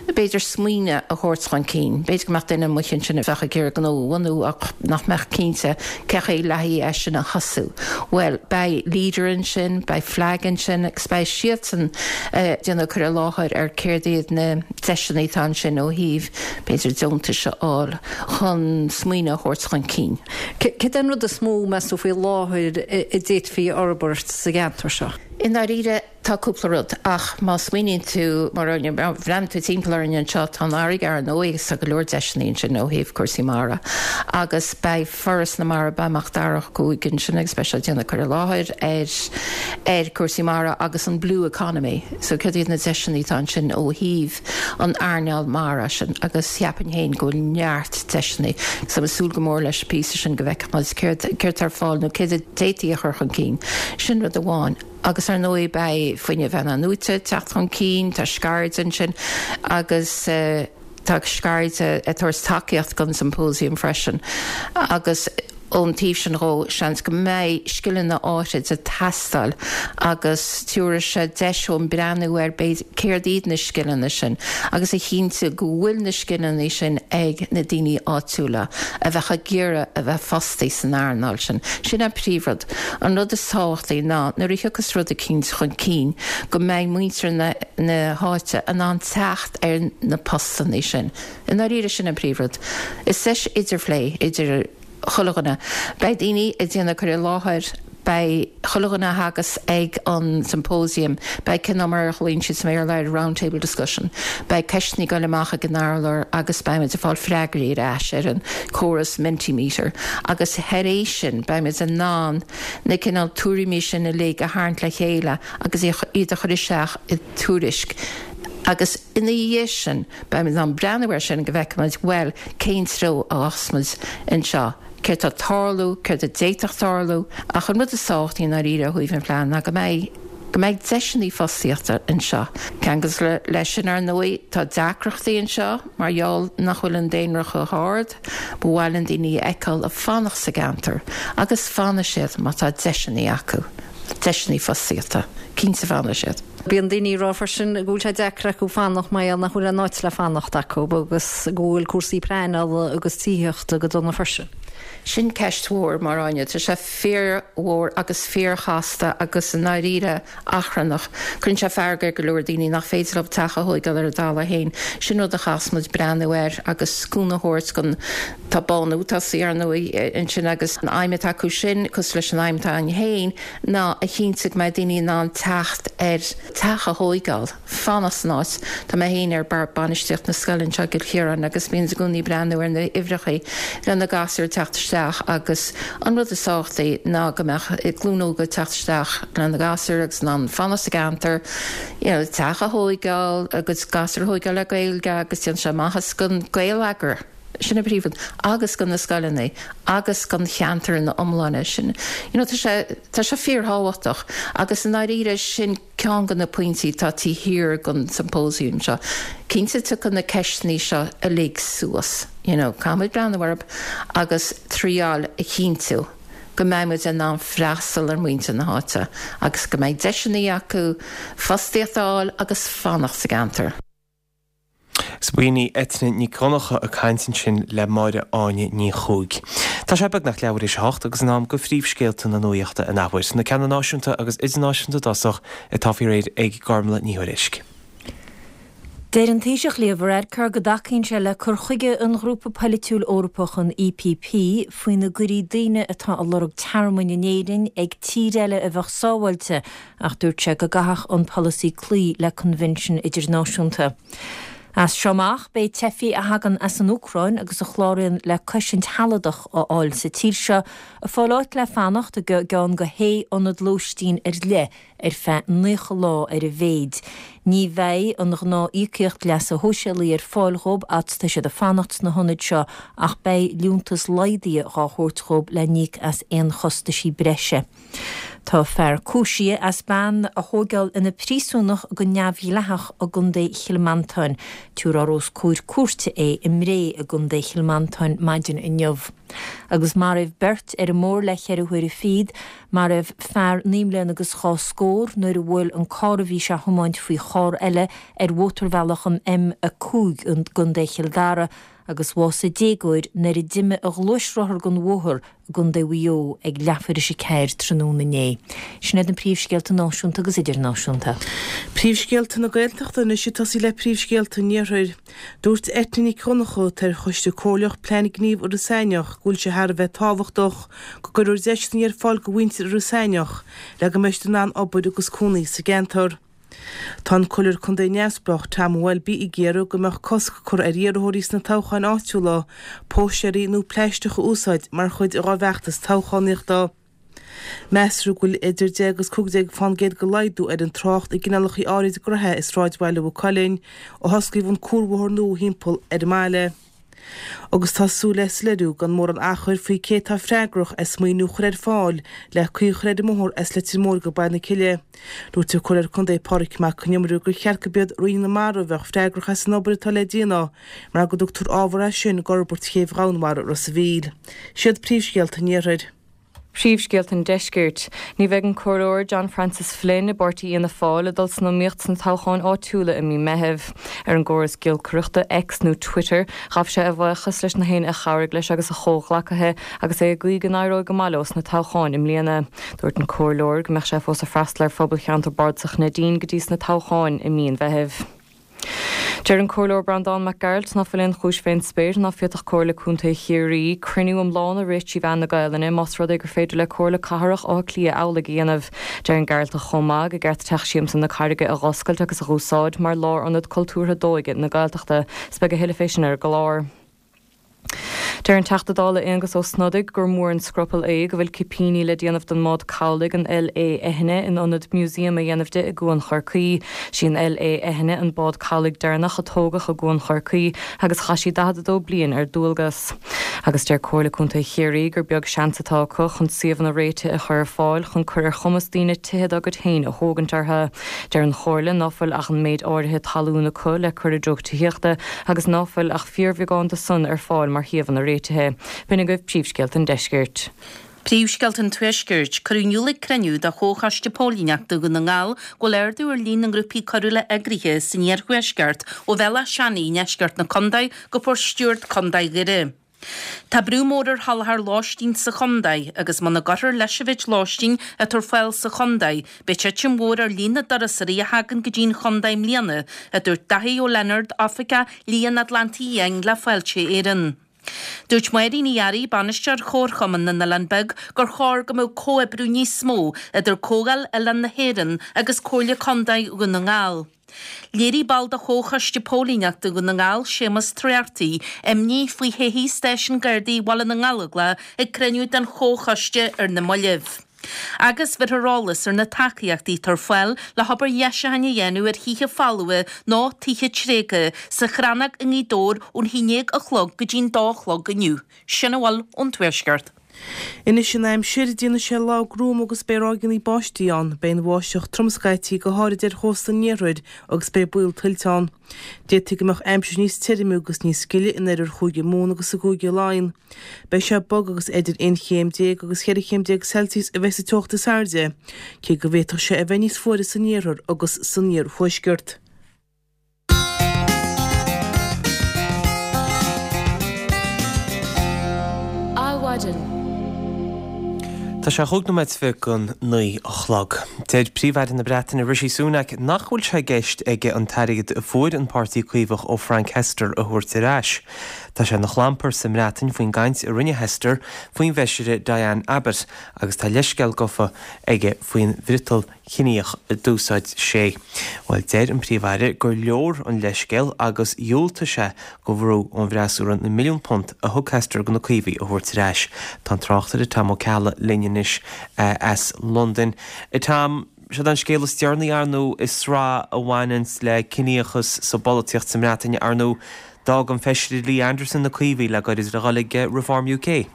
b'fhéidir, smaoineamh a thabhairt chun cinn. B'fhéidir go mbeadh duine amuigh ansin a bheadh ag iarraidh gnó a bhunú ach nach mbeadh cinnte cén chaoi le haghaidh é sin a thosú. Bhuel, beidh Leader ansin, beidh FLAG ansin agus beidh siadsan ag déanamh cur i láthair ar céard iad na deiseanna atá ansin ó thaobh, b'fhéidir, deontais a fháil chun smaoineamh a thabhairt chun cinn. Céard é an rud is mó, meas tú, faoi láthair a d'fhéadfaí a fhorbairt sa gceantar seo? I ndáiríre, tá cúpla rud, ach má smaoiníonn tú, mar má bhreathnaíonn tú timpeall orainn anseo, tá an fharraige ar ndóigh agus tá go leor deiseanna ansin ó thaobh cúrsaí mara. Agus beidh Foras na Mara, beidh Mac Dara Ó Cuaig ansin agus beidh sé ag déanamh cur i láthair ar ar cúrsaí mara agus an blue economy. So céard iad na deiseanna atá ansin ó thaobh an earnáil mara sin agus cheapfainn féin go bhfuil neart deiseanna. So ag súil go mór leis an píosa sin go bhfeicfidh muid céard céard atá ar fáil nó céard a d'fhéadfaí a chur chun cinn. Sin rud amháin. Agus ar ndóigh beidh fuinneamh in-athnuaite ag teacht chun cinn, tá Scairde ansin agus tá Scairde ag tabhairt tacaíocht don symposium freisin agus ón taobh sin dhó seans go mbeidh scileanna áirid ag teastáil agus tabharfaidh sé deis dúinn breathnú ar b'fhéidir céard iad na scileanna sin agus a chinntiú go bhfuil na scileanna sin ag na daoine áitiúla a bheadh ag iarraidh a bheith fostaithe san earnáil sin. Sin an príomhrud. An rud is tábhachtaí ná nuair a thiocfas rud eicínt chun cinn go mbeidh muintir na na háite in ann teacht ar na postanna sin. I ndáiríre sin an príomhrud. Is deis idirphlé idir chuile dhuine. Beidh daoine ag déanamh cur i láthair, beidh chuile dhuine a thagas ag an symposium, beidh cineál mar a ghlaonn siad sa mBéarla air round table discussion, beidh ceisteanna ag dul amach ag an urlár agus beimid ag fáil freagraí ar ais ar an córas Mentimeter agus thar éis sin beimid in ann na cineál tuairimí sin uilig a tharraingt le chéile agus iad a chur isteach i dtuairisc agus ina dhiaidh sin beimid in ann breathnú air sin go bhfeicfimid bhuel cén treo a ghabhfas muid anseo. céard tá ag tarlú, céard a d'fhéadfadh tarlú, ach an rud is tábhachtaí i ndáiríre ó thaobh an phlean ná go mbeidh, go mbeidh deiseanna fostaíochta anseo. Ceangailte leis sin, ar ndóigh, tá deacrachtaí anseo mar gheall nach bhfuil an daonra chomh hard, ba mhaith linn daoine a fheiceáil ag fanacht sa gceantar agus fanfaidh siad má tá deiseanna acu, deiseanna fostaíochta, cinnte fanfaidh siad. Bíonn daoine ag rá freisin go bhfuil sé deacair acu fanacht mar gheall nach bhfuil aon áit le fanacht acu agus go bhfuil cúrsaí pleanála agus tithíochta go dona freisin. Sin ceist mhór, mar Áine. Tá sé fíormhór agus fíorchasta agus i ndáiríre achrannach. Cuireann sé fearg ar go leor daoine nach féidir leo teach a thóigeáil ar a dtalamh féin. Sin rud a chaithfeas muid breathnú air agus cúnamh a thabhairt don Tá Bánú tosaithe ar ndóigh ansin agus an aidhm atá acu sin, cosúil leis an aidhm atá againn féin, ná a chinntiú go mbeidh daoine in ann teacht ar teach a thógáil, fanacht san áit. Tá mé féin ar bord bainistíocht na scoile anseo i gCill Chiaráin agus bíonn i gcónaí breathnú ar na huimhreacha le na gasúir teacht isteach agus an rud is tábhachtaí ná go mbeadh glúin óga teacht isteach le na gasúir agus in ann fanacht sa gceantar, you know, teach a thógáil agus gasúir a thógáil le Gaeilge agus déanann sé maitheas don gheilleagar. Sin an príomhrud agus do na scoileanna agus don cheantar ina iomláine sin. You know, tá sé tá sé fíorthábhachtach agus i ndáiríre sin ceann de na pointí tá taobh thiar den symposium seo. Cinnte tiocfaidh na ceisteanna seo uilig suas, you know, caithfimid breathnú orthu agus triáil a chinntiú go mbeimid in ann freastal ar mhuintir na háite agus go mbeidh deiseanna acu fostaíocht a fháil agus fanacht sa gceantar. B'in í Eithne Nic Dhonncha ag caint ansin le Máire Áine Ní Chuaig. Tá sé beagnach leathuair théis a hocht agus in am do phríomhscéalta na nuachta an athuair, na ceanna náisiúnta agus idirnáisiúnta i dtosach atá faoi réir ag Gormlaith Ní Thuairisg. Deir an Taoiseach Leo Varadkar go dtacaíonn sé le cur chuige an ghrúpa polaitiúil Eorpach an EPP faoina gcuirí daoine atá ag lorg tearmainn in Éirinn ag tír eile a bheadh sábháilte ach dúirt sé go gcaithfeadh an polasaí cloí le coinbhinsiún idirnáisiúnta. As seo amach beidh teifigh a thagann as an Úcráin agus a chláraíonn le cosaint shealadach a fháil sa tír seo ag fáil áit le fanacht i gceann de shé ionad lóistín ar leith ar feadh naocha lá ar a mhéid. Ní bheidh an ghnáth-íocaíocht leasa shóisialaigh ar fáil dhóibh fhad is tá siad ag fanacht sna hionaid seo ach beidh liúntas laghdaithe dhá thabhairt dhóibh le n-íoc as aon chostaisí breise. Tá fear cúisithe as bean a thógáil ina príosúnach go neamhdhleathach i gContae Chill Mhantáin. Tabharfar os comhair cúirte é i mBré i gContae Chill Mhantáin maidin inniu. Agus maraíodh beirt ar an mbóthar le ceithre huaire fichead, maraíodh fear naoi mbliana agus dhá scór nuair a bhuail an carr a bhí sé a thiomáint faoi charr eile ar mhótarbhealach an M a cúig i gContae Chill Dara agus bhásaigh déagóir nuair a d'imigh a ghluaisrothar den bhóthar i gContae Mhaigh Eo ag leathuair théis a ceathair tráthnóna inné. Sin iad na príomhscéalta náisiúnta agus idirnáisiúnta. Príomhscéalta na Gaeltachta anois ag tosaí le príomhscéalta an Iarthair. Dúirt Eithne Nic Dhonncha, atá ar Choiste Comhairleach Plean Gnímh Iorras Aithneach, go bhfuil sé thar a bheith tábhachtach go gcuirfear deiseanna ar fáil do mhuintir Iorras Aithneach le go mbeidh siad in ann obair agus cónaí sa gceantar. Tá an Comhairleoir Contae Neamhspleách Tom Welby ag iarraidh go mbeadh cosc curtha ar iarrthóirí sna toghcháin áitiúla póstaeirí nó plaisteach a úsáid mar chuid dá bhfeachtas toghchánaíochta. Meastar go bhfuil idir deich agus cúig déag fán gcéad de laghdú ar an trácht i gcineálacha áirid gnaithe i sráidbhaile Mhaigh Cuilinn ó hosclaíodh an cuarbhóthar nua thimpeall ar an mbaile. Agus tá súil le soiléiriú gan mórán achair faoi cé atá freagrach as maoiniú a chur ar fáil le caoi a chur ar an mbóthar as Leitir Móir go Baile na Cille. Dúirt an Comhairleoir Contae Pádraig Mac Con Iomaire gur cheart gurb iad Roinn na Mara a bheadh freagrach as an obair atá le déanamh mar go dtugtar ábhar as sin d'fhorbairt chéibh dhomhainmhara Ros a' Mhíl. Siad príomhscéalta an Iarthair. Príomhscéalta an Deiscirt. Ní bheidh an Comhairleoir John Francis Flynn i bpáirtí Fhianna Fáil ag dul san iomaíocht sna toghcháin áitiúla i mí Meithimh. Ar an gcóras giolcaireachta X nó Twitter, ghabh sé a bhuíochas leis na héinne a chabhraigh leis agus a chomhghleacaithe agus é ag guí go n-éireoidh go maith leo sna toghcháin i mbliana. Dúirt an Comhairleoir go mbeadh sé fós ag freastal ar phobal cheantar bardasach Neidín go dtí sna toghcháin i mí an Mheithimh. Deir an Comhairleoir Breandán Mac Gearailt ná fuil aon chúis fén spéir ná féadfadh Comhairle Contae Chiarraí cruinniú iomlán a rith trí mheán na Gaelainne más rud é gur féidir le Comhairle Cathrach Átha Cliath amhlaidh a dhéanamh. Deir an Gearaltach chomh maith gur ceart Teach Siamsa na Carraige a dh'oscailt agus a dh'úsáid mar lárionad cultúrtha d'óige na Gaeltachta. 'S beidh a thuilleadh fé sin ar an gclár. Deir an Teachta Dála Aengus Ó Snodaigh gur mór an scrupall é go bhfuil cipíní le déanamh den mbád cabhlaigh an LÉ Eithne in ionad museum a dhéanamh di i gCuan Chorcaí. Sí an LÉ Eithne an bád cabhlaigh deireanach a tógadh i gCuan Chorcaí agus chaith sí daichead a dó bliain ar dualgas. Agus deir Comhairle Contae Chiarraí gur beag seans atá acu chun suíomhanna réitithe a chur ar fáil chun cur ar chumas daoine tithe dá gcuid féin a thógaint orthu. Deir an Chomhairle ná fuil ach an méid áirithe talún acu le cur i dtreo tithíochta agus ná fuil ach fíorbheagán de san ar fáil mar shuíomhanna réitithe. B'in agaibh príomhscéalta an Deiscirt. Príomhscéalta an Tuaiscirt. Cuireadh in iúl ag cruinniú de Chomhchoiste Póilíneachta Dhún na nGall go bhfuil ardú ar líon na ngrúpaí coiriúla eagraithe san iarthuaisceart ó Bhéal Átha Seanaidh i ndeisceart na contae go Port Stewart, Contae Dhoire. Tá brú mór ar sholáthar lóistín sa chontae agus muna gcuirfear leis an mhéid lóistín atá ar fáil sa chontae, beidh titim mhór ar líon na dturasóirí a thagann go dtí an chontae i mbliana, a dúirt Daithí Ó Lionáird, Oifigeach Liath an Atlantaigh Fhiáin le Fáilte Éireann. Dúirt Máirín Ní Fhearraigh, Bainisteoir Chomharchumann na nOileán Beag, gur chóir go mbeadh comhoibriú níos mó idir Comhdháil Oileán na hÉireann agus Comhairle Contae Dhún na nGall. Léirigh ball de Chomhchoiste Póilíneachta Dhún na nGall, Séamus Trarty, imní faoi shoithí Stáisiún Gardaí Bhaile na nGallóglach ag cruinniú den Chomhchoiste ar na mallaibh. Agus bheirfear eolas ar na tacaíochtaí atá ar fáil le hobair dheisiúcháin a dhéanamh ar thithe folmha nó tithe tréigthe sa Chrannóg i nGaoth Dobhair ón haon déag a chlog go dtí'n dó a chlog inniu. Sin a bhfuil ón Tuaisceart. Anois an aimsir, déanfaidh sé lá gruama agus beidh ráigeanna báistí ann. Beidh an bháisteach trom scaití, go háirid ar chósta an iarthair agus beidh baol tuilte ann. D'fhéadfaí go mbeadh aimsir níos tirime agus níos gile in oirthear Chúige Mumhan agus i gCúige Laighean. Beidh sé bog agus idir aon chéim déag agus cheithre chéim déag Celsius a bheidh sa teocht is airde, cé go bhféadfadh sé a bheith níos fuaire san iarthar agus san iarthuaisceart. Adhmhaidin. Tá sé chúig nóiméad is fiche don naoi a chlog. Deir Príomh-Aire na Breataine Rishi Sunak nach bhfuil sé i gceist aige an t-airgead a fuair an Páirtí Caomhach ó Frank Hester a thabhairt ar ais. Tá sé ina chlampar sa mBreatain faoin gcaint a rinne Hester faoin bhfeisire Diane Abbott agus tá leithscéal gafa aige faoin bhfriotal ciníoch a d'úsáid sé. Bhuel, deir an Príomh-Aire gur leor an leithscéal agus dhiúltaigh sé do bhrú ón bhfreasúra na milliúin punt a thug Hester do na Caomhaigh a thabhairt ar ais. Tá an tráchtaire Tom Ó Ceallaigh linn anois as Londain. A Tom, seod an scéal is deireanaí ar ndóigh i sraith a bhaineanns le ciníochas sa bpolaitíocht sa mBreatain ar ndóigh. D'fhág an Feisire Lee Anderson na Caomhaigh le gairid le dhul ag Reform UK.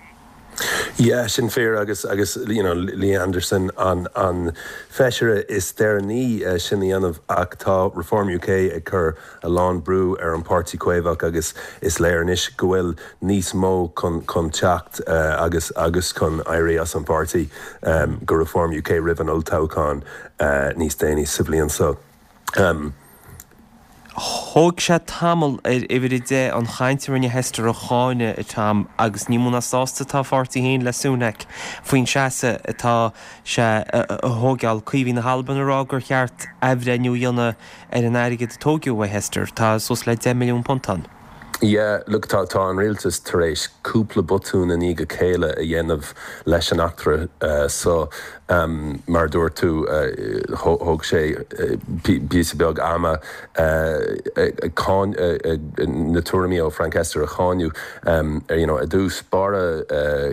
Yeah, sin fíor agus agus you know Lee Anderson an an feisire is deireanaí sin a dhéanamh ach tá Reform UK ag cur a lán brú ar an Páirtí Caomhach agus is léir anois go bhfuil níos mó chun chun teacht agus agus chun éirí as an bpáirtí go Reform UK roimh an olltoghchán níos déanaí sa bhliain seo. Thóg sé tamall ar Uimhir a Deich an chaint a rinne Hester a cháineadh, a Tom, agus ní mó ná sásta atá a pháirtí féin le Sunak faoin seasamh atá sé a thógáil. Caomhaigh na hAlban ag rá gur cheart athbhreithniú a dhéanamh ar an airgead a tógadh uaidh Hester. Tá suas le deich milliún punt ann. Yeah, look, tá tá an rialtas tar éis cúpla botún i ndiaidh a chéile a dhéanamh leis an eachtra so. Mar a dúirt tú, thóg sé píosa beag ama ag na tuairimí ó Frank Hester a cháineadh. You know, i dtús báire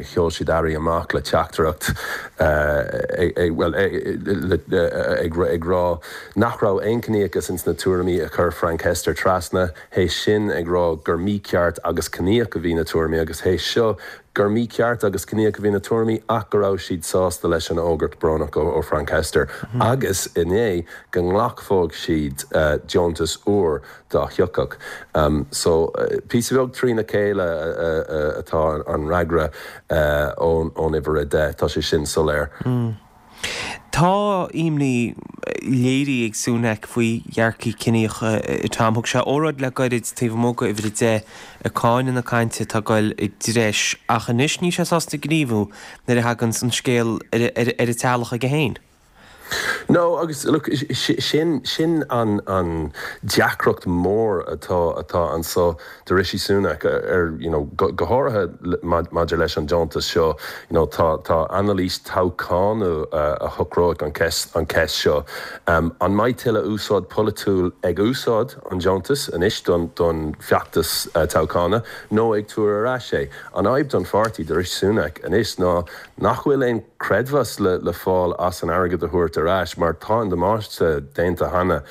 sheol siad airí amach le teachtaireacht bhuel, ag rá nach raibh aon chiníochas ins na tuairimí a chuir Frank Hester trasna. Théis sin ag rá gur mícheart agus ciníoch a bhí na tuairimí agus théis seo gur mícheart agus ciníoch a bhí na tuairimí ach go raibh siad sásta leis an fhógairt brónach ó Frank Hester agus inné go nglacfadh siad deontas úr dá thiocfadh. So píosa beag trína chéile atá an fhreagra ón uimhir a deich, tá sé sin soiléir. Tá imní léirithe ag Sunak faoi dhearcthaí ciníocha, a Tom. Thug sé óráid le gairid taobh amuigh de Uimhir a deich ag cáineadh na cainte atá ag goil i dtreis ach anois níl sé sásta gníomhú nuair a thaganns an scéal ar an teallach aige féin. No, agus look, sin sin an an deacracht mór atá atá anso do Rishi Sunak ar you know go go háirithe maidir leis an deontas seo, you know tá tá anailís toghcháin a shocróidh an ceist an ceist seo. An mbeidh tuilleadh úsáid polaitiúil ag úsáid an deontas anois don don feachtas toghchána nó ag tabhairt ar ais é? An fhadhb don pháirtí do Rishi Sunak anois ná nach bhfuil aon creidmheas le le fáil as an airgead a thabhairt ar ais mar tá an damáiste déanta cheana.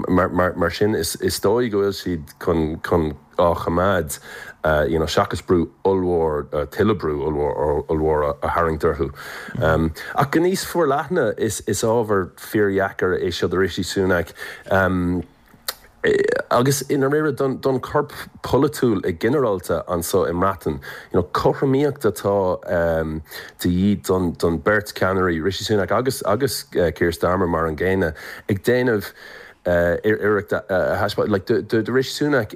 Mar mar mar sin is is dóigh go bhfuil siad chun chun á choimeád you know seachas brú ollmhór tuilleadh brú ollmhór ollmhór a tharraingt orthu. Ach go níos forleithne is is ábhar fíordheacair é seo do Rishi Sunak. Agus i ndáiríre don don chorp polaitiúil i ginearálta anso i mBreatain, you know cothromaíocht atá de dhíth don don beirt ceannairí, Rishi Sunak agus agus Keir Starmer mar an gcéanna, ag déanamh iarracht a thaispeáint. Like, do, do, do Rishi Sunak,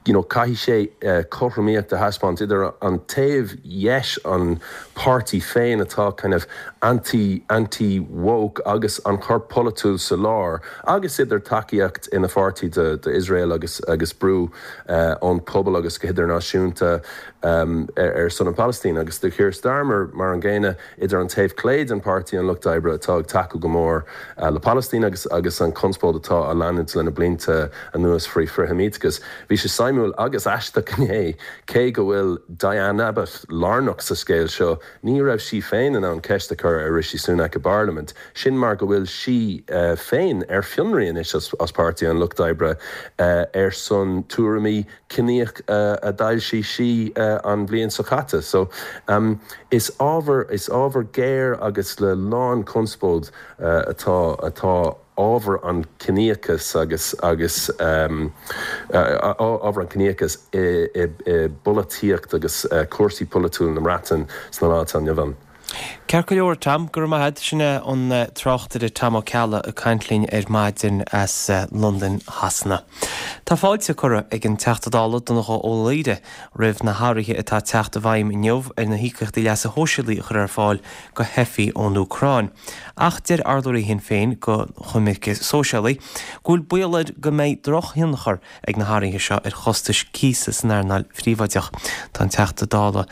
you know, caithfidh sé cothromaíocht a thaispeáint idir an taobh dheis an páirtí féin atá kind of anti, anti-woke agus an corp polaitiúil sa lár, agus idir tacaíocht ina pháirtí do, do Israel agus, agus brú uh, ón pobal agus go hidirnáisiúnta um, ar, ar son an Palestine agus do Keir Starmer mar an gcéanna idir an taobh clé den páirtí an Lucht Oibre atá ag tacú go mór uh, le Palestine agus agus an conspóid atá á leanúint lena blianta anuas faoi frith-Sheimíteachas. Bhí sé suimiúil agus aisteach inné cé go bhfuil Diane Abbott lárnach sa scéal seo, ní raibh sí féin in ann ceist a chur ar Rishi Sunak i bParlaimint, sin mar go bhfuil sí uh, féin ar fionraí anois as, as páirtí an Lucht Oibre uh, ar son tuairimí ciníoch uh, a d'fhoilsigh sí uh, an bhliain seo caite. So um, is ábhar is ábhar géar agus le lán conspóid uh, atá atá ábhar an ciníochas agus agus um, uh, ábhar an ciníochas i, i, i bpolaitíocht agus uh, cúrsaí polaitiúil na Breataine sna lá atá inniu ann. Ceart go leor Tom, go raibh maith agat sin é an tráchtaire Tom Ó Ceallaigh ag caint linn ar maidin as Londain Shasana. Tá fáilte curtha ag an Teachta Dála Donnchadh Ó Laoghaire roimh na hathruithe atá ag teacht i bhfeidhm inniu ar na híocaíochtaí leasa shóisialaigh a chur ar fáil do theifigh ón Úcráin. Ach deir urlabhraí Shinn Féin don choimirce sóisialaí go bhfuil baol air go mbeidh drochthionchar ag na hathruithe seo ar chostais cíosa san earnáil phríobháideach. Tá an Teachta Dála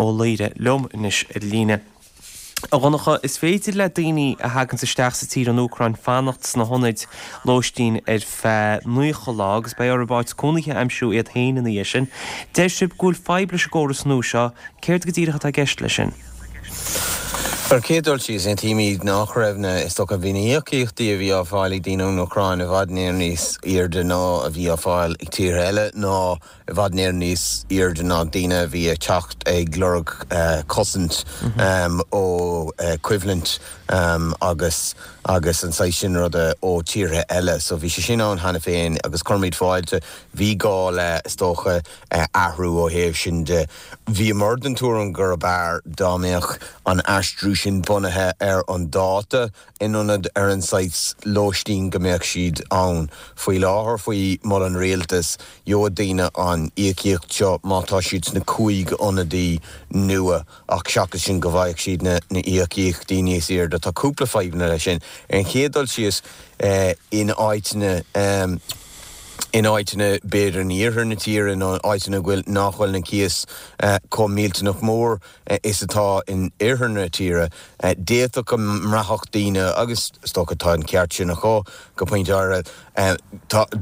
Ó Laoghaire liom anois ar líne. A Dhonncha, is féidir le daoine a thagann isteach sa tír ón Úcráin fanacht sna hionaid lóistín ar feadh nócha lá agus beidh orthu áit cónaithe a aimsiú iad féin ina dhiaidh sin. Deir sibh go bhfuil fadhb leis an gcóras nua seo, céard go díreach atá i gceist leis sin? Ar chéad dul síos, aontaímid nach raibh na is dócha bhí na híocaíochtaí a bhí á fáil ag daoine ón Úcráin i bhfad níos airde ná a bhí á fáil ag tíortha eile ná i bhfad níos airde ná daoine a bhí ag teacht ag lorg cosaint ó choimhlint agus agus an saghas sin ruda ó tíortha eile. So bhí sé sin ann cheana féin agus cuirimid fáilte bhí gá le is dócha athrú ó thaobh sin de. Bhíomar den tuairim gurb fhearr dá mbeadh an aistriú sin bunaithe ar an dáta in ionad ar an saghas lóistín go mbeadh siad ann. Faoi láthair faoi mholadh an rialtais gheobhaidh daoine an íocaíocht seo má tá siad sna cúig ionadaí nua ach seachas sin go bhfaigheadh siad na na íocaíochtaí níos airde. Tá cúpla fadhbanna leis sin. Ar an chéad dul síos in áiteanna in áiteanna b'fhéidir in iarthar na tíre nó áiteanna bhfuil nach bhfuil na cíos chomh millteanach mór is atá in oirthear na tíre. D'fhéadfadh go mbraithfeadh daoine agus is dócha tá an ceart sin acu go pointe áirithe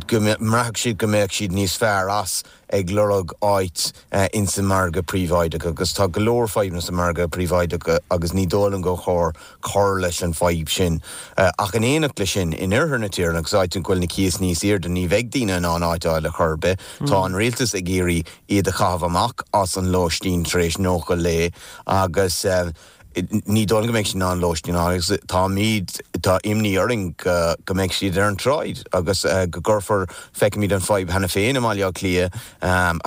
go mbraithfeadh siad go mbeadh siad níos fearr as ag lorg áit ins an margadh príobháideach agus tá go leor fadhbanna sa margadh príobháideach agus ní dóigh liom gur chóir cur leis an fadhb sin. Ach in éineacht leis sin, in oirthear na tíre agus áit a bhfuil na cíos níos airde ní bheidh daoine in ann áit a fháil ar chor ar bith. Tá an rialtas ag iarraidh iad a chaitheamh amach as an lóistín tar éis nócha lae agus ní dóigh liom go mbeidh siad in ann lóistín a fháil agus táimid, tá imní orainn go go mbeidh siad ar an tsráid agus go gcuirfear, feicimid an fadhb cheana féin i mBaile Átha Cliath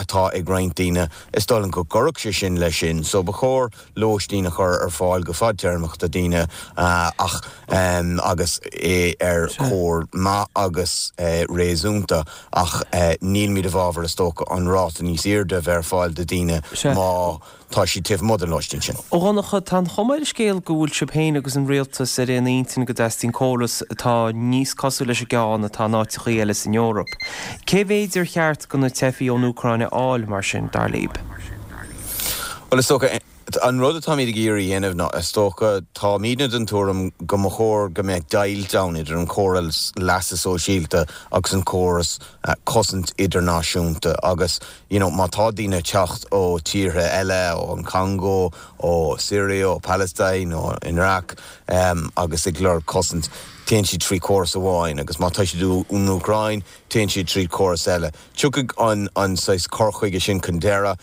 atá ag roinnt daoine, is dóigh liom go gcuirfeadh sé sin leis sin. So ba chóir lóistín a chur ar fáil go fadtéarmach do daoine ach agus é ar chóir maith agus réasúnta ach nílimid i bhfabhar is dócha an ráta níos airde a bheith ar fáil do daoine má tá siad taobh amuigh den lóistín sin. A Dhonncha, tá an chuma ar an scéal go bhfuil sibh féin agus an rialtas ar aon intinn go dteastaíonn córas atá níos cosúil leis an gceann atá in áiteachaí eile san Eoraip. Cé mhéid ar cheart do na teifigh ón Úcráin a fháil mar sin, dar libh? Bhuel, is dócha, an rud atáimid ag iarraidh a dhéanamh ná, is dócha, táimidne den tuairim go mba chóir go mbeadh deighilt ann idir an córas leasa sóisialta agus an córas cosaint idirnáisiúnta agus you know má tá daoine ag teacht ó tíortha eile, ó an Congo, ó Syria, ó Palestine, ó Iraq agus ag lorg cosaint, téann siad trí chóras amháin agus má tá siad ón Úcráin, téann siad trí chóras eile. Tiocfaidh an an saghas cur chuige sin chun deireadh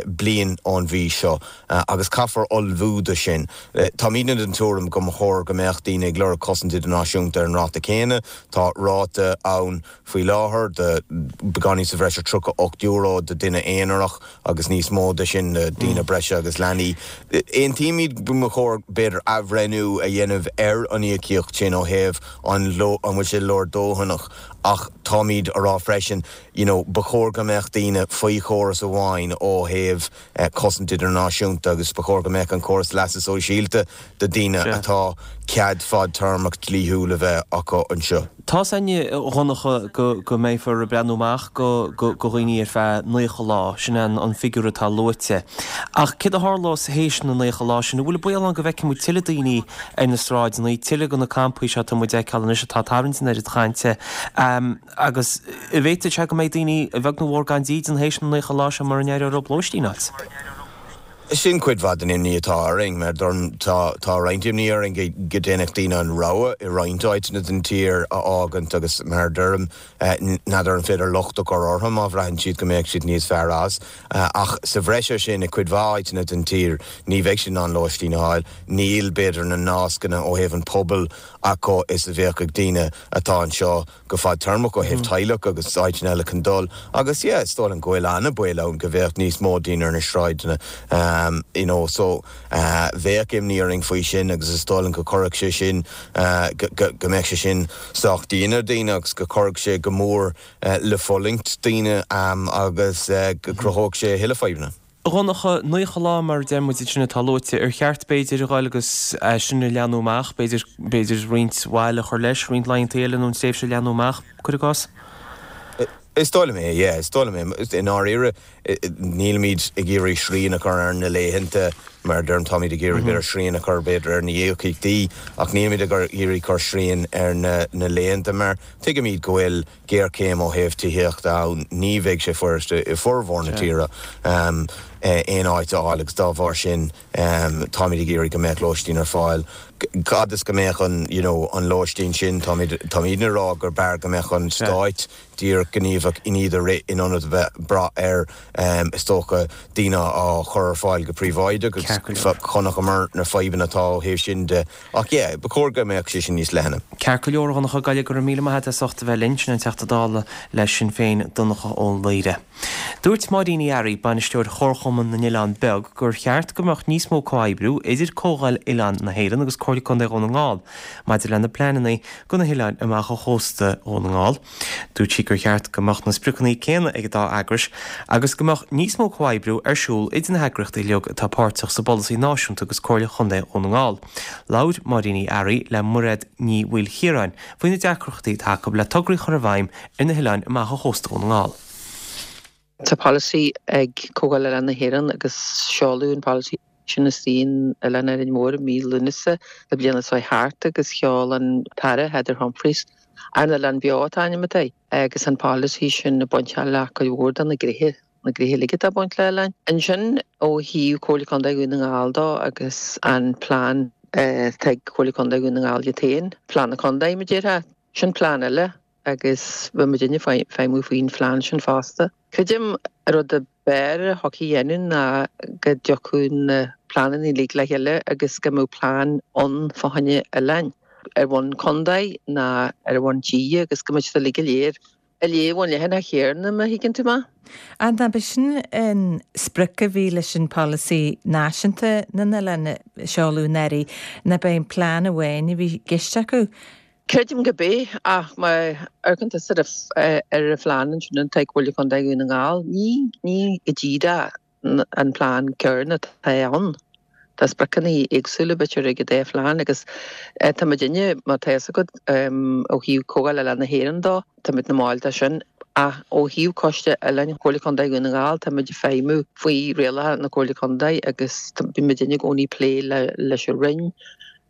bliain ón mhí seo agus caithfear ullmhú do sin. Táimidne den tuairim go mba chóir go mbeadh daoine ag lorg cosaint idirnáisiúnta ar an ráta céanna. Tá ráta ann faoi láthair de beagáinín sa bhreis ar tríocha ocht euro do duine aonarach agus níos mó de sin do daoine breise agus leanaí. Aontaímid go mba chóir b'fhéidir athbhreithniú a dhéanamh ar an íocaíocht sin ó thaobh an an bhfuil sé leordhóthanach ach táimid a rá freisin you know, ba chóir go mbeadh daoine faoi chóras amháin ó thaobh eh, cosaint idirnáisiúnta agus ba chóir go mbeadh an córas leasa sóisialta do daoine atá cead fadtéarmach dlíthiúil a bheith acu anseo. Tá a fhios againn, a Dhonncha, go go mbeifear ag breathnú amach go go go dhaoine ar feadh naocha lá, sin an an figiúr atá luaite. Ach céard a tharlós théis na naocha lá sin? An bhfuil baol ann go bhfeicfidh muid tuilleadh daoine ar na sráideanna, tuilleadh de na campaí seo atá muid a fheiceáil anois atá ag tarraingt an oiread cainte? Agus an bhféadfadh sé go mbeidh daoine, a bheag nó a mhór, gan dídean théis na naocha lá seo mura n-éireoidh leo lóistín a fháilt? Sin cuid mhaith den imní atá orainn, mar tá tá roinnt imní orainn go go ndéanfadh daoine an rogha i roinnt áiteanna den tír a fhágaint agus mar a deirim n'fheadar an féidir locht a chur orthu má bhraitheann siad go mbeadh siad níos fearr as. Ach sa bhreis air sin i cuid mhaith áiteanna den tír ní bheidh siad in ann lóistín a fháil, níl b'fhéidir na nascanna ó thaobh an pobail acu is a bheadh ag daoine atá anseo go fadtéarmach ó thaobh teaghlach agus áiteanna eile chun dul agus yeah is dóigh liom go bhfuil an-baol ann go bheadh níos mó daoine ar na sráideanna um you know so uh bheadh imní orainn faoi sin agus is dóigh liom go gcuirfeadh sé sin uh go go go mbeadh sé sin sách dian ar daoine agus go gcuirfeadh sé go mór uh le fulaingt daoine um agus uh go gcruthódh sé a thuilleadh fadhbanna. A Dhonncha, naocha lá mar a deir muid ansin atá luaite, ar cheart b'fhéidir a ghoil agus é sin a leathnú amach, b'fhéidir, b'fhéidir roinnt mhaith a chur leis, roinnt laethanta eile nó an tréimhse a leathnú amach, cuir i gcás? Is dóigh liom é, yeah, is dóigh liom é. I ndáiríre, nílimid ag iarraidh srian a chur ar na laethanta, mar a deirim, táimid ag iarraidh b'fhéidir srian a chur b'fhéidir ar na híocaíochtaí, ach nílimid ag iarraidh cur srian ar na na laethanta mar tuigimid go bhfuil géarchéim ó thaobh tithíochta ann, ní bheidh sé fuiriste i bhformhór na tíre aon áit a fháil agus dá bharr sin táimid ag iarraidh go mbeadh lóistín ar fáil. Fhad is go mbeadh an you know an lóistín sin, táimid táimidne ag rá gur b'fhearr go mbeadh an stáit díreach gníomhach in iad a rith in ionad a bheith ag brath ar is dócha daoine á chur ar fáil go príobháideach agus chonaiceamar na fadhbanna atá ó thaobh sin de. Ach yeah, ba chóir go mbeadh sé sin níos leithne. Ceart go leor, a Dhonncha Ghaile, go raibh míle maith agat as ucht a bheith linn. Sin an Teachta Dála le Sinn Féin, Donncha Ó Laoghaire. Dúirt Máirín Uí Fhearraigh, bainisteoir Chomharchumann na nOileán Beag, gur cheart go mbeadh níos mó comhoibriú idir Comhdháil Oileán na hÉireann agus Comhairle Contae Dhún na nGall maidir lena pleananna do na hoileáin amach ó chósta Dhún na nGall. Dúirt sí gur cheart go mbeadh na spriocanna céanna ag an dá eagrais agus go mbeadh níos mó comhoibriú ar siúl idir na heagraíochtaí uilig atá páirteach sa bpolasaí náisiúnta agus Comhairle Chontae Dhún na nGall. Labhair Máirín Uí Fhearraigh le Mairéad Ní Mhaoilchiaráin faoi na deacrachtaí atá acu le tograí a chur i bhfeidhm ar na hoileáin amach ó chósta Dhún na nGall. Tá polasaí ag Comhdháil Oileán na hÉireann agus seoladh an polasaí sin istigh in Oileán Árainn Mhór i mí Lúnasa na bliana seo thart agus sheol an tAire Heather Humphreys Ár nOileán Beo atá ainm atá agus an polasaí sin ag baint le cuid mhór de na gnéithe na gnéithe uilig atá ag baint le oileáin. Ansin ó thaobh Comhairle Contae Dhún na nGall dó agus an plean atá ag Comhairle Contae Dhún na nGall iad féin, plean na contae mar a déarfá, sin plean eile agus bheadh muidinne ag feidhmiú faoin phlean sin fosta. Creidim an rud ab fhearr a thiocfadh a dhéanamh ná go dtiocfadh na pleananna uilig le chéile agus go mbeadh plean ann fá choinne oileáin ar bhonn contae ná ar bhonn tíre agus go mbeadh siad uilig go léir ag léamh ón leathanach chéanna má thuigeann tú mé. Ach ab é sin an sprioc a bhí leis an polasaí náisiúnta na n-oileán a seoladh anuraidh, ná ab é an plean amháin a bhí i gceist acu? Creidim gurb é, ach má amharcann tusa ar an phlean ansin atá ag Comhairle Contae Dhún na nGall, ní ní go díreach an plean céanna atá ann. Tá spriocanna éagsúla b'fhéidir ag an dá phlean agus tá muidinne, má tá fhios agat, ó thaobh Comhdháil Oileán na hÉireann dó, tá muid ina mbaill de sin. Ach ó thaobh Coiste Oileáin Chomhairle Contae Dhún na nGall, tá muid ag feidhmiú faoi rialacha na Comhairle Contae agus bíonn muidinne i gcónaí ag plé leis an Roinn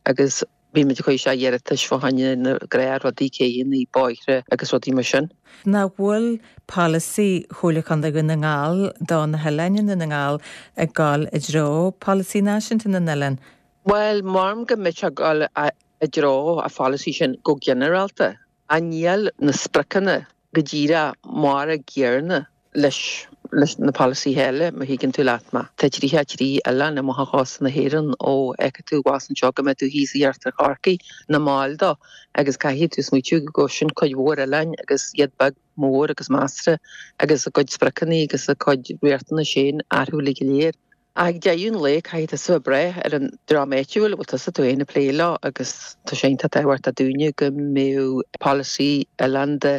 agus Bíonn muid ag cur isteach iarratais fá choinne na gnáthrudaí, céanna, bóithre agus rudaí mar sin. Nach bhfuil polasaí Chomhairle Contae Dhún na nGall do na hoileáin i nDún na nGall ag dul i dtreo polasaí náisiúnta na n-oileán? Bhuel, measaim go mbeadh sé ag dul i dtreo an pholasaí sin go ginearálta. Ach níl na spriocanna go díreach mar a gcéanna leis leis na polasaithe eile, má thuigeann tú leat mé. Tá tríocha a trí oileán amach ó chósta na hÉireann ó fheicfidh tú abhus anseo go mbeidh tú thíos i iarthar Chorcaí ina mbaill dó agus caithfidh tú smaoitiú go sin cuid mhór oileáin agus iad beag mór agus measartha agus a gcuid spriocanna agus a gcuid riachtanais féin orthu uilig go léir. Ach ag deireadh an lae caithfidh tusa a bhrath ar an dream áitiúil a bhfuil tusa tú féin ag plé leo agus tá sé iontach tábhachtach dúinne go mbeadh polasaí oileánda,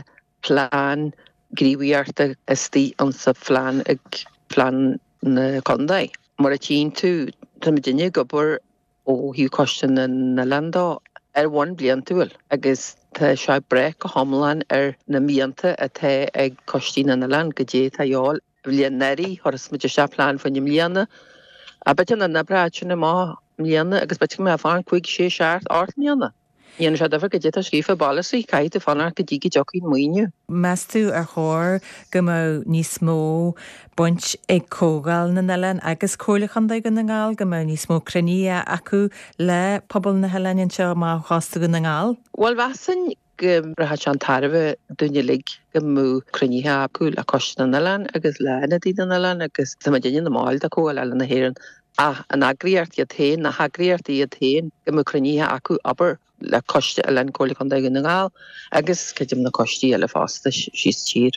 plean gníomhaíochta istigh insa phlean ag plean na contae. Mar a tchíonn tú, tá muidinne ag obair ó thaobh Coiste na nOileán dó ar bhonn bliantúil agus tá sé ag brath go hiomlán ar na mianta atá ag Coistí na nOileán, goidé atá a dhíobháil. Bhliain anuraidh, chuir muid isteach plean fá choinne i mbliana. B'fhéidir nach n-oibreodh sin amach i mbliana agus b'fhéidir go mbeadh fán cúig, sé, seacht, ocht mbliana. Ní dhéanann sé difear goidé atá scríofa i bpolasaí, caithfidh tú fanacht go dtí go dtiocfaidh an maoiniú. Meas tú ar chóir go mbeadh níos mó baint ag Comhdháil na nOileán agus Comhairle Chontae Dhún na nGall, go mbeadh níos mó cruinnithe acu le pobal na hoileáin anseo amach ó chósta Dhún na nGall? Bhuel, mheasfainn go rachadh sé chun tairbhe dúinn uilig go mbeadh cruinnithe acu le Coiste na nOileán agus le hIonadaithe na nOileán agus tá muidinne ina mbaill de Chomhdháil Oileáin na hÉireann ach an eagraíocht iad féin, na heagraíochtaí iad féin, go mbeadh cruinnithe acu, abair, le Coiste Oileán Comhairle Contae Dhún na nGall agus creidim na coistí eile fosta síos tír.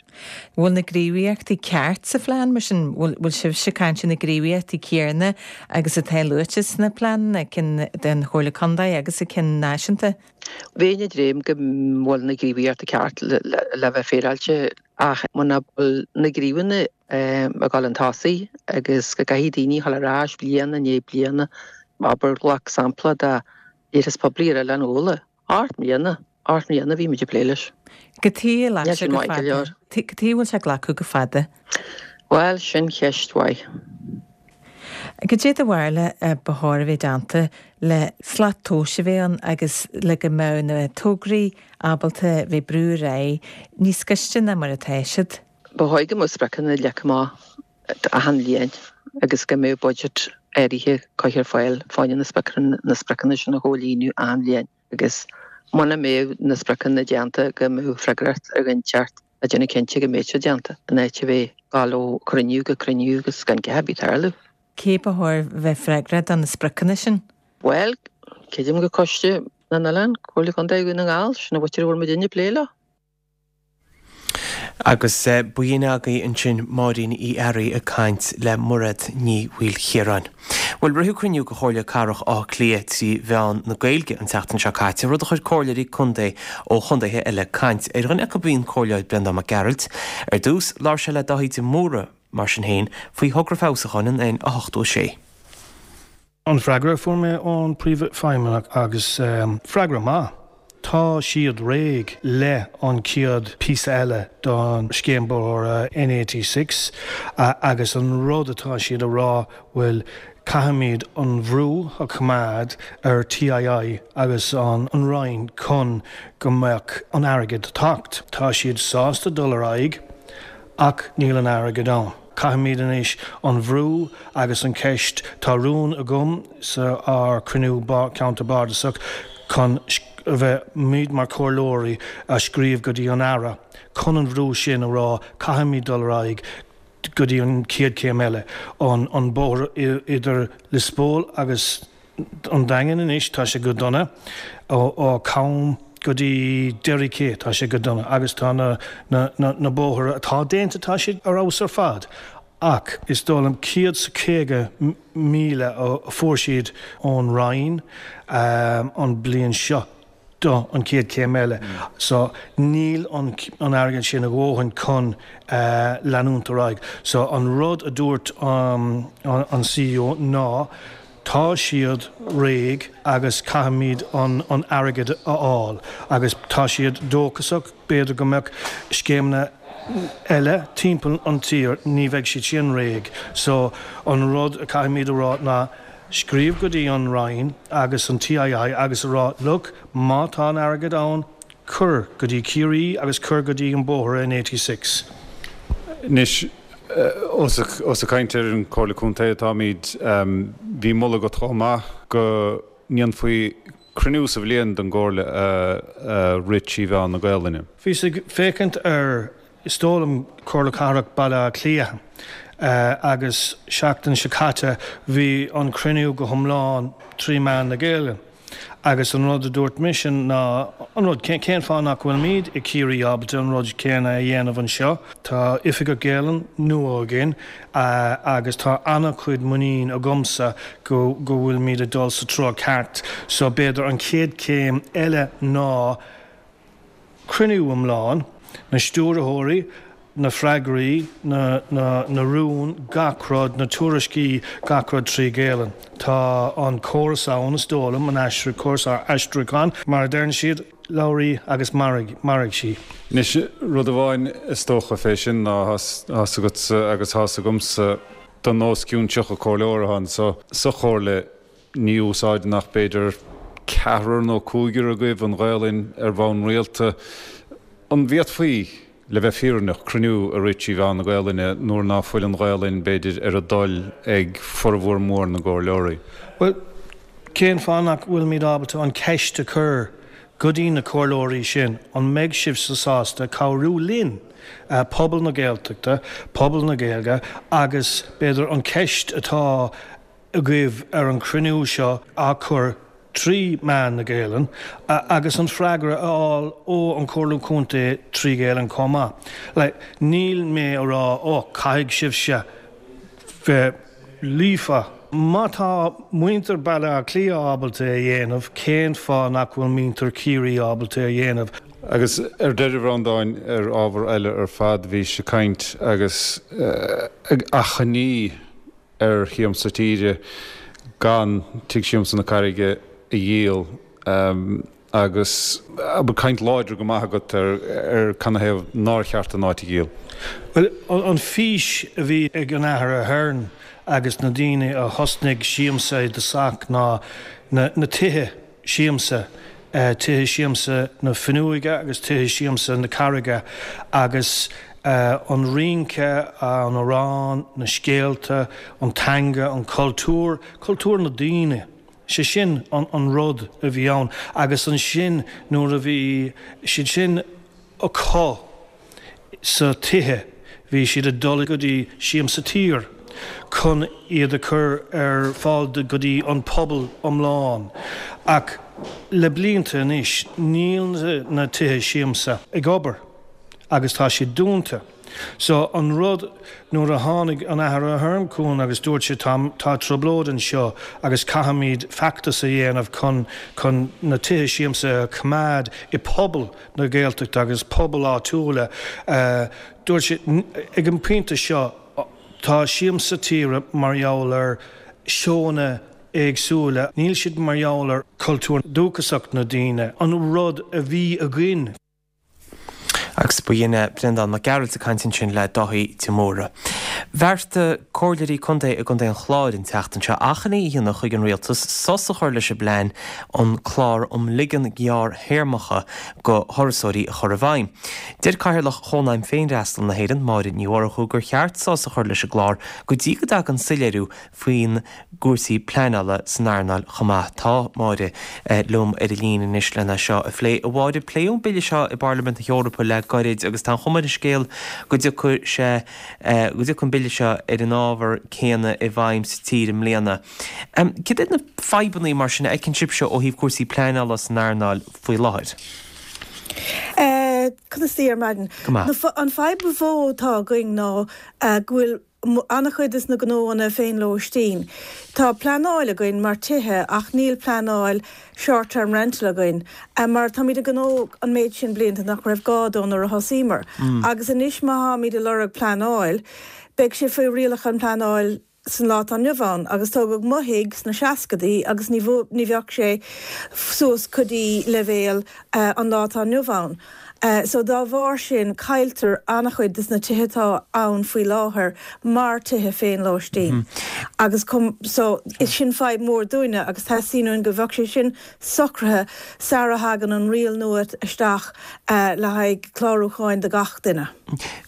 Bhfuil na gníomhaíochtaí ceart sa phlean mar sin? Bhfuil sibhse ag caint ar na gníomhaíochtaí céanna agus atá luaite sna pleananna, cinn den Chomhairle Contae agus a cinn náisiúnta? Bheinn ag dréim go bhfuil na gníomhaíochtaí ceart le bheith féaráilte ach muna bhfuil na gníomhanna ag dul chun tosaigh agus go gcaithfidh daoine a dhul ar ais bliain i ndiaidh bliana, abair, glac sampla de iarratas poiblí ar Oileán Úlla, ocht mbliana, ocht mbliana a bhí muid ag plé leis. Cad chuige a ghlac sé go fada? Cad chuige a bhfuil sé ag glacadh go fada? Bhuel, sin cheist mhaith. Cad é do bharúil ba chóir a bheith déanta le slat tomhais a bheith ann agus le go mbeadh na tograí ábalta bheith ag brú ar aghaidh níos gaiste ná mar atá siad? Ba chóir go mbeadh spriocanna leagtha amach achan bhliain agus go mbeadh budget áirithe curtha ar fáil fá choinne na spriocanna sin a chomhlíonadh achan bhliain agus muna mbeadh na spriocanna déanta go mbeadh freagracht ar dhuine inteacht a déanamh cinnte go mbeidh siad déanta, in áit a bheith ag dul ó chruinniú go cruinniú agus gan a dhath ar bith ag tarlú. Cé ba chóir bheith freagrach do na spriocanna sin? Bhuel, creidim go Coiste na nOileán, Comhairle Contae Dhún na nGall, sin an mhuintir a bhfuil muidinne ag plé leo. Agus b'in agaibh ansin Máirín Uí Fhearraigh ag caint le Mairéad Ní Mhaoilchiaráin. Bhuel, ritheadh cruinniú de Chomhairle Cathrach Átha Cliath trí mheán na Gaeilge an tseachtain seo caite, rud a chuir comhairleoirí contae ó chontaetha eile ag caint. Ar dhuine acu bhí an Comhairleoir Breandán Mac Gearailt. Ar dtús, labhair sé le Dáithí de Mórdha, mar sin féin, faoi thogra feabhsúcháin an N a hochtó a sé. An freagra a fuair mé ón Príomhfheidhmeannach agus freagra maith. Tá siad réidh le an chéad píosa eile don scéim bóthair N eighty six agus an rud atá siad a rá bhuel caithfimid an bhrú a choimeád ar TII agus an Roinn chun go mbeadh an airgead teacht. Tá siad sásta dul ar aghaidh ach níl an airgead ann. Caithfimid anois an bhrú agus an ceist, tá rún agam sa ár cruinniú ceantar bardasach chun a bheith muid mar chomhairleoirí a scríobh go dtí an Aire chun an bhrú sin a rá caithfimid dul ar aghaidh go dtí an chéad chéim eile, an an bóthar idir Lios Póil agus an Daingean anois, tá sé go dona, ó Cham go dtí Derry Quay, tá sé go dona agus tá na na na bóithre atá déanta, tá siad ar fheabhas ar fad ach is dóigh liom céad 's caoga míle a fuair siad ón Roinn an bliain seo do an chéad chéim eile so níl an an airgead sin a dhóthain chun leanúint ar aghaidh. So an rud a dúirt an CEO ná Tá siad réidh agus caithfimid an an airgead a fháil agus tá siad dóchasach b'fhéidir go mbeadh scéimeanna eile timpeall an tír, ní bheidh siad sin réidh. So an rud a caithfimid a rá ná scríobh go dtí an Roinn agus an TII agus a rá look má tá an airgead ann cuir go dtí Ciarraí agus cuir go dtí an bóthar N eighty six. Anois, ós ag caint ar an Chomhairle Contae atáimid, bhí moladh agat chomh maith go ndéanfaí cruinniú sa bhliain den gComhairle a rith trí mheán na Gaelainne. Bhíos ag féachaint ar, is dóigh liom, Comhairle Cathrach Baile Átha Cliath agus seachtain seo caite bhí an cruinniú go hiomlán trí mheán na Gaeilge. Agus an rud a dúirt mise ná an rud, cén fáth nach bhfuilimid i Ciarraí ábalta an rud céanna a dhéanamh anseo? Tá Oifigeach Gaelainne nua againn agus tá an-chuid muinín agamsa go go bhfuilimid ag dul sa treo ceart. So b'fhéidir an chéad chéim eile ná cruinniú iomlán, na stiúrthóirí, na freagraí, na, na, na rúin, gach rud, na tuairiscí, gach rud trí Ghaelainn. Tá an córas ann, is dóigh liom, an aistriú, córas aistriúcháin, mar a deireann siad, labhair í agus mairfidh, mairfidh sí. Anois, rud amháin is dócha fé sin ná tá's agatsa agus tá's agamsa don os cionn tríocha comhairleoir atá anso sa chomhairle, ní úsáideann ach b'fhéidir ceathrar nó cúigear agaibh an Ghaelainn ar bhonn rialta. An bhféadfaí, le bheith fírinneach, cruinniú a rith trí mheán na Gaelainne nuair ná fuil an Ghaelainn, b'fhéidir, ar a dtoil ag formhór mór na gcomhairleoirí? Bhuel, cén fáth nach bhfuilimid ábalta an cheist a chur go dtí na comhairleoirí sin, an mbeidh sibhse sásta cabhrú linn, pobal na Gaeltachta, pobal na Gaeilge, agus b'fhéidir an cheist atá agaibh ar an chruinniú seo á chur trí mheán na Gaelainne agus an freagra a fháil ó an Chomhairle Contae trí Ghaelainn chomh maith. Like, níl mé a rá, oh, caithfidh sibhse bheith líofa. Má tá muintir Baile Átha Cliath ábalta é a dhéanamh, cén fáth nach bhfuil muintir Chiarraí ábalta é a dhéanamh? Agus ar deireadh, a Bhreandáin, ar ábhar eile ar fad, bhís ag caint agus ag achainí ar Shiamsa Tíre gan Tigh Siamsa na Carraige a dhíol agus abair caint láidir go maith agat ar ar canathaobh nár cheart an áit a dhíol. Bhuel, an fís a bhí ag an Athair Ahern agus na daoine a thosnaigh Siamsa i dtosach ná na tithe siamsa, tithe siamsa na Fuinneoige agus tithe siamsa na Carraige agus an rince, an amhrán, na scéalta, an teanga, an cultúr, cultúr na daoine. Sé sin an rud a bhí ann agus ansin nuair a bhí siad sin acu sa tithe bhí siad ag dul go dtí Siamsa Tíre chun iad a chur ar fáil go dtí an pobal iomlán. Ach le blianta anois níl na tithe siamsa ag obair agus tá siad dúnta. So an rud nuair a tháinig an Athair Ahern chugainn agus dúirt sé tá tá trioblóid anseo agus caithfimid feachtas a dhéanamh chun chun na tithe siamsa a choimeád i pobal na Gaeltachta agus pobal áitiúla dúirt sé ag an bpointe seo tá Siamsa Tíre mar gheall ar seónna éagsúla, níl siad mar gheall ar cultúr dúchasach na daoine, an rud a bhí againn. Agus ba shin é Breandán Mac Gearailt ag caint ansin le Dáithí de Mórdha. Bheartaigh comhairleoirí contae i gContae an Chláir an tseachtain seo achainí a dhéanamh chuig an rialtas sos a chur leis an bplean an clár um ligean gearrthéarmacha go thurasóirí a chur i bhfeidhm. Deir Cathaoirleach Chónaidhm Féinfhreastail na hÉireann, Máire Ní Mhurchú, gur cheart sos a chur leis an gclár go dtí go dtagann soiléiriú faoin gcúrsaí pleanála san earnáil chomh maith. Tá Máire liom ar an líne anois lena seo a phlé. A Mháire, pléadh an bille seo i bParlaimint na hEorpa le gairid agus tá an chuma ar an scéal go dtiocfaidh sé, go dtiocfaidh an bille seo ar an ábhar céanna i bhfeidhm sa tír i mbliana. Cad iad na fadhbanna mar sin a fheiceann sibhse ó thaobh cúrsaí pleanála san earnáil faoi láthair? Conas taoi ar maidin? Go maith. An fadhb ba mhó atá againn ná go bhfuil an-chuid de na gnóanna féinlóistín. Tá pleanáil againn mar tithe ach níl pleanáil short term rental againn mar táimid ag gnó an méid sin blianta nach raibh gá dó nuair a thosaíomar. Agus anois má tháimid ag lorg pleanáil beidh sé faoi rialacha an pleanáil san lá atá inniu ann agus tógadh mo thigh sna seascadaí agus ní ní bheadh sé suas go dtí leibhéal an lá atá inniu ann. So dá bharr sin cailltear an-chuid des na tithe atá ann faoi láthair mar tithe féinlóistín. Agus so is sin fadhb mór dúinne agus teastaíonn uainn go bheadh sé sin socraithe sara thagann an riail nua isteach le haghaidh clárúcháin do gach duine.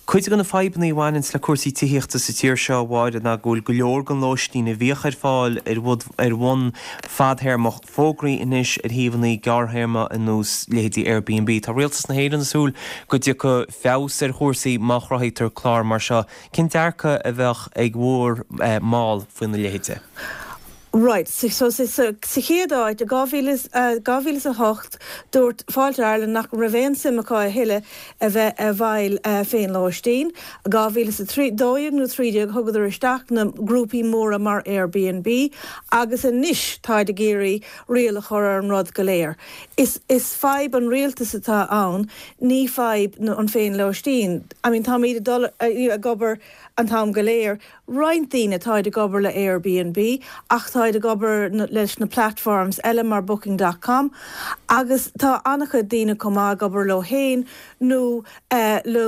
Cuid de na fadhbanna a bhaineanns le cúrsaí tithíochta sa tír seo, a Mháire, ná go bhfuil go leor den lóistín a bhíodh ar fáil ar ar bhonn fadthéarmach fógraithe anois ar shuíomhanna gearrthéarma ar nós leithéidí Airbnb. Tá Rialtas na hÉireann ag súil go dtiocfaidh feabhas ar chúrsaí má chruthaítear clár mar seo. Cén dearcadh a bheadh ag bhur mball faoina leithéide? Right, so so sa chéad áit i dhá mhíle is a hocht dúirt Fáilte Ireland nach raibh aon suim acu a thuilleadh a bheith i bhfeighil féinlóistín. dhá mhíle is a trí dó dhéag nó trí déag thugadar isteach na grúpaí móra mar Airbnb agus anois táid ag iarraidh riail a chur ar an rud go léir. Is is fadhb an rialtas atá ann, ní fadhb an féinlóistín. I mean táimid ag dul ag obair an t-am go léir. Roinnt daoine táid ag obair le Airbnb ach táid ag obair leis na platforms eile mar Booking dot com agus tá an-chuid daoine chomh maith ag obair leo féin nó le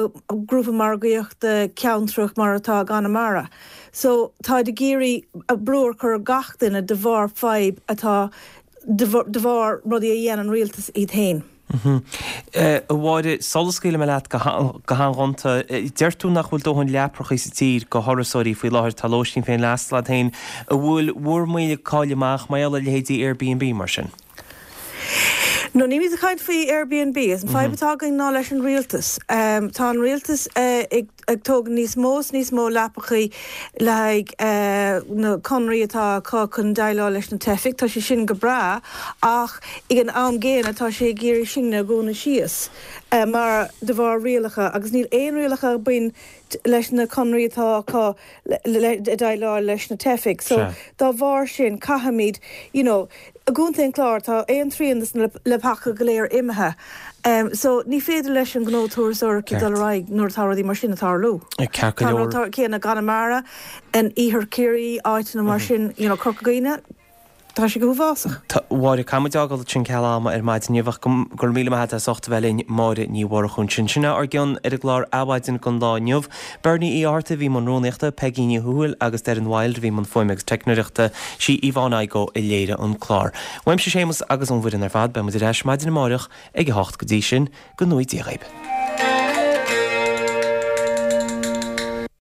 grúpa margaíochta ceantrach mar atá i gConamara. So táid ag iarraidh brú a chur ar gach duine de bharr fadhb atá de bharr rudaí a dhéan an rialtas iad féin. A Mháire, sula scaoilfidh mé leat go han-ghonta, deir tú nach bhfuil dóthain leaprachaí sa tír go thurasóirí faoi láthair, tá lóistín fén fhreastal agat féin. An bhfuil bhur moill ag cáil amach mar gheall ar leithéidí Airbnb mar sin? No, nílimid ag caint faoi Airbnb. An fadhb atá againn ná leis an rialtas. Tá an rialtas ag ag tógaint níos mó is níos mó leapachaí le haghaidh na conraí atá acu chun déileáil leis na teifigh. Tá sé sin go breá ach ag an am gcéanna tá sé ag iarraidh sinne a dhúnadh síos mar de bharr rialacha agus níl aon rialacha ag baint leis na conraí atá acu le déileáil leis na teifigh. So dá bharr sin caithfimid you know i gContae an Chláir tá aon trian de na leapacha go léir imithe. So ní féidir leis an gnó turasóireachta dul ar aghaidh nuair atá rudaí mar sin ag tarlú. Ceart go Tá an leor. rud céanna i gConamara, in Iarthar Chiarraí, áiteanna mar sin, you know, Corca Dhuibhne, tá sé go huafásach. Tá, Mháire, caithfidh muid fhágáil ansin ceal ama ar maidin inniu ach go go raibh míle maith agat as ucht a bheith linn, Máire Ní Mhurchú ansin. Sin é ár gcion ar an gclár Adhmhaidin don lá inniu. Bernie Uí Fhátharta a bhí i mbun rúnaíochta, Peggy Ní Thuathail agus Doireann Wilde a bhí i mbun fuaime agus teicneoireachta. Sí Yvonne Igoe a léirigh an clár. Uaimse Séamus agus ón bhfoireann ar fad, beidh muid ar ais maidin amáireach ag a hocht go dtí sin, go ngnóthaí Dia dhaoib.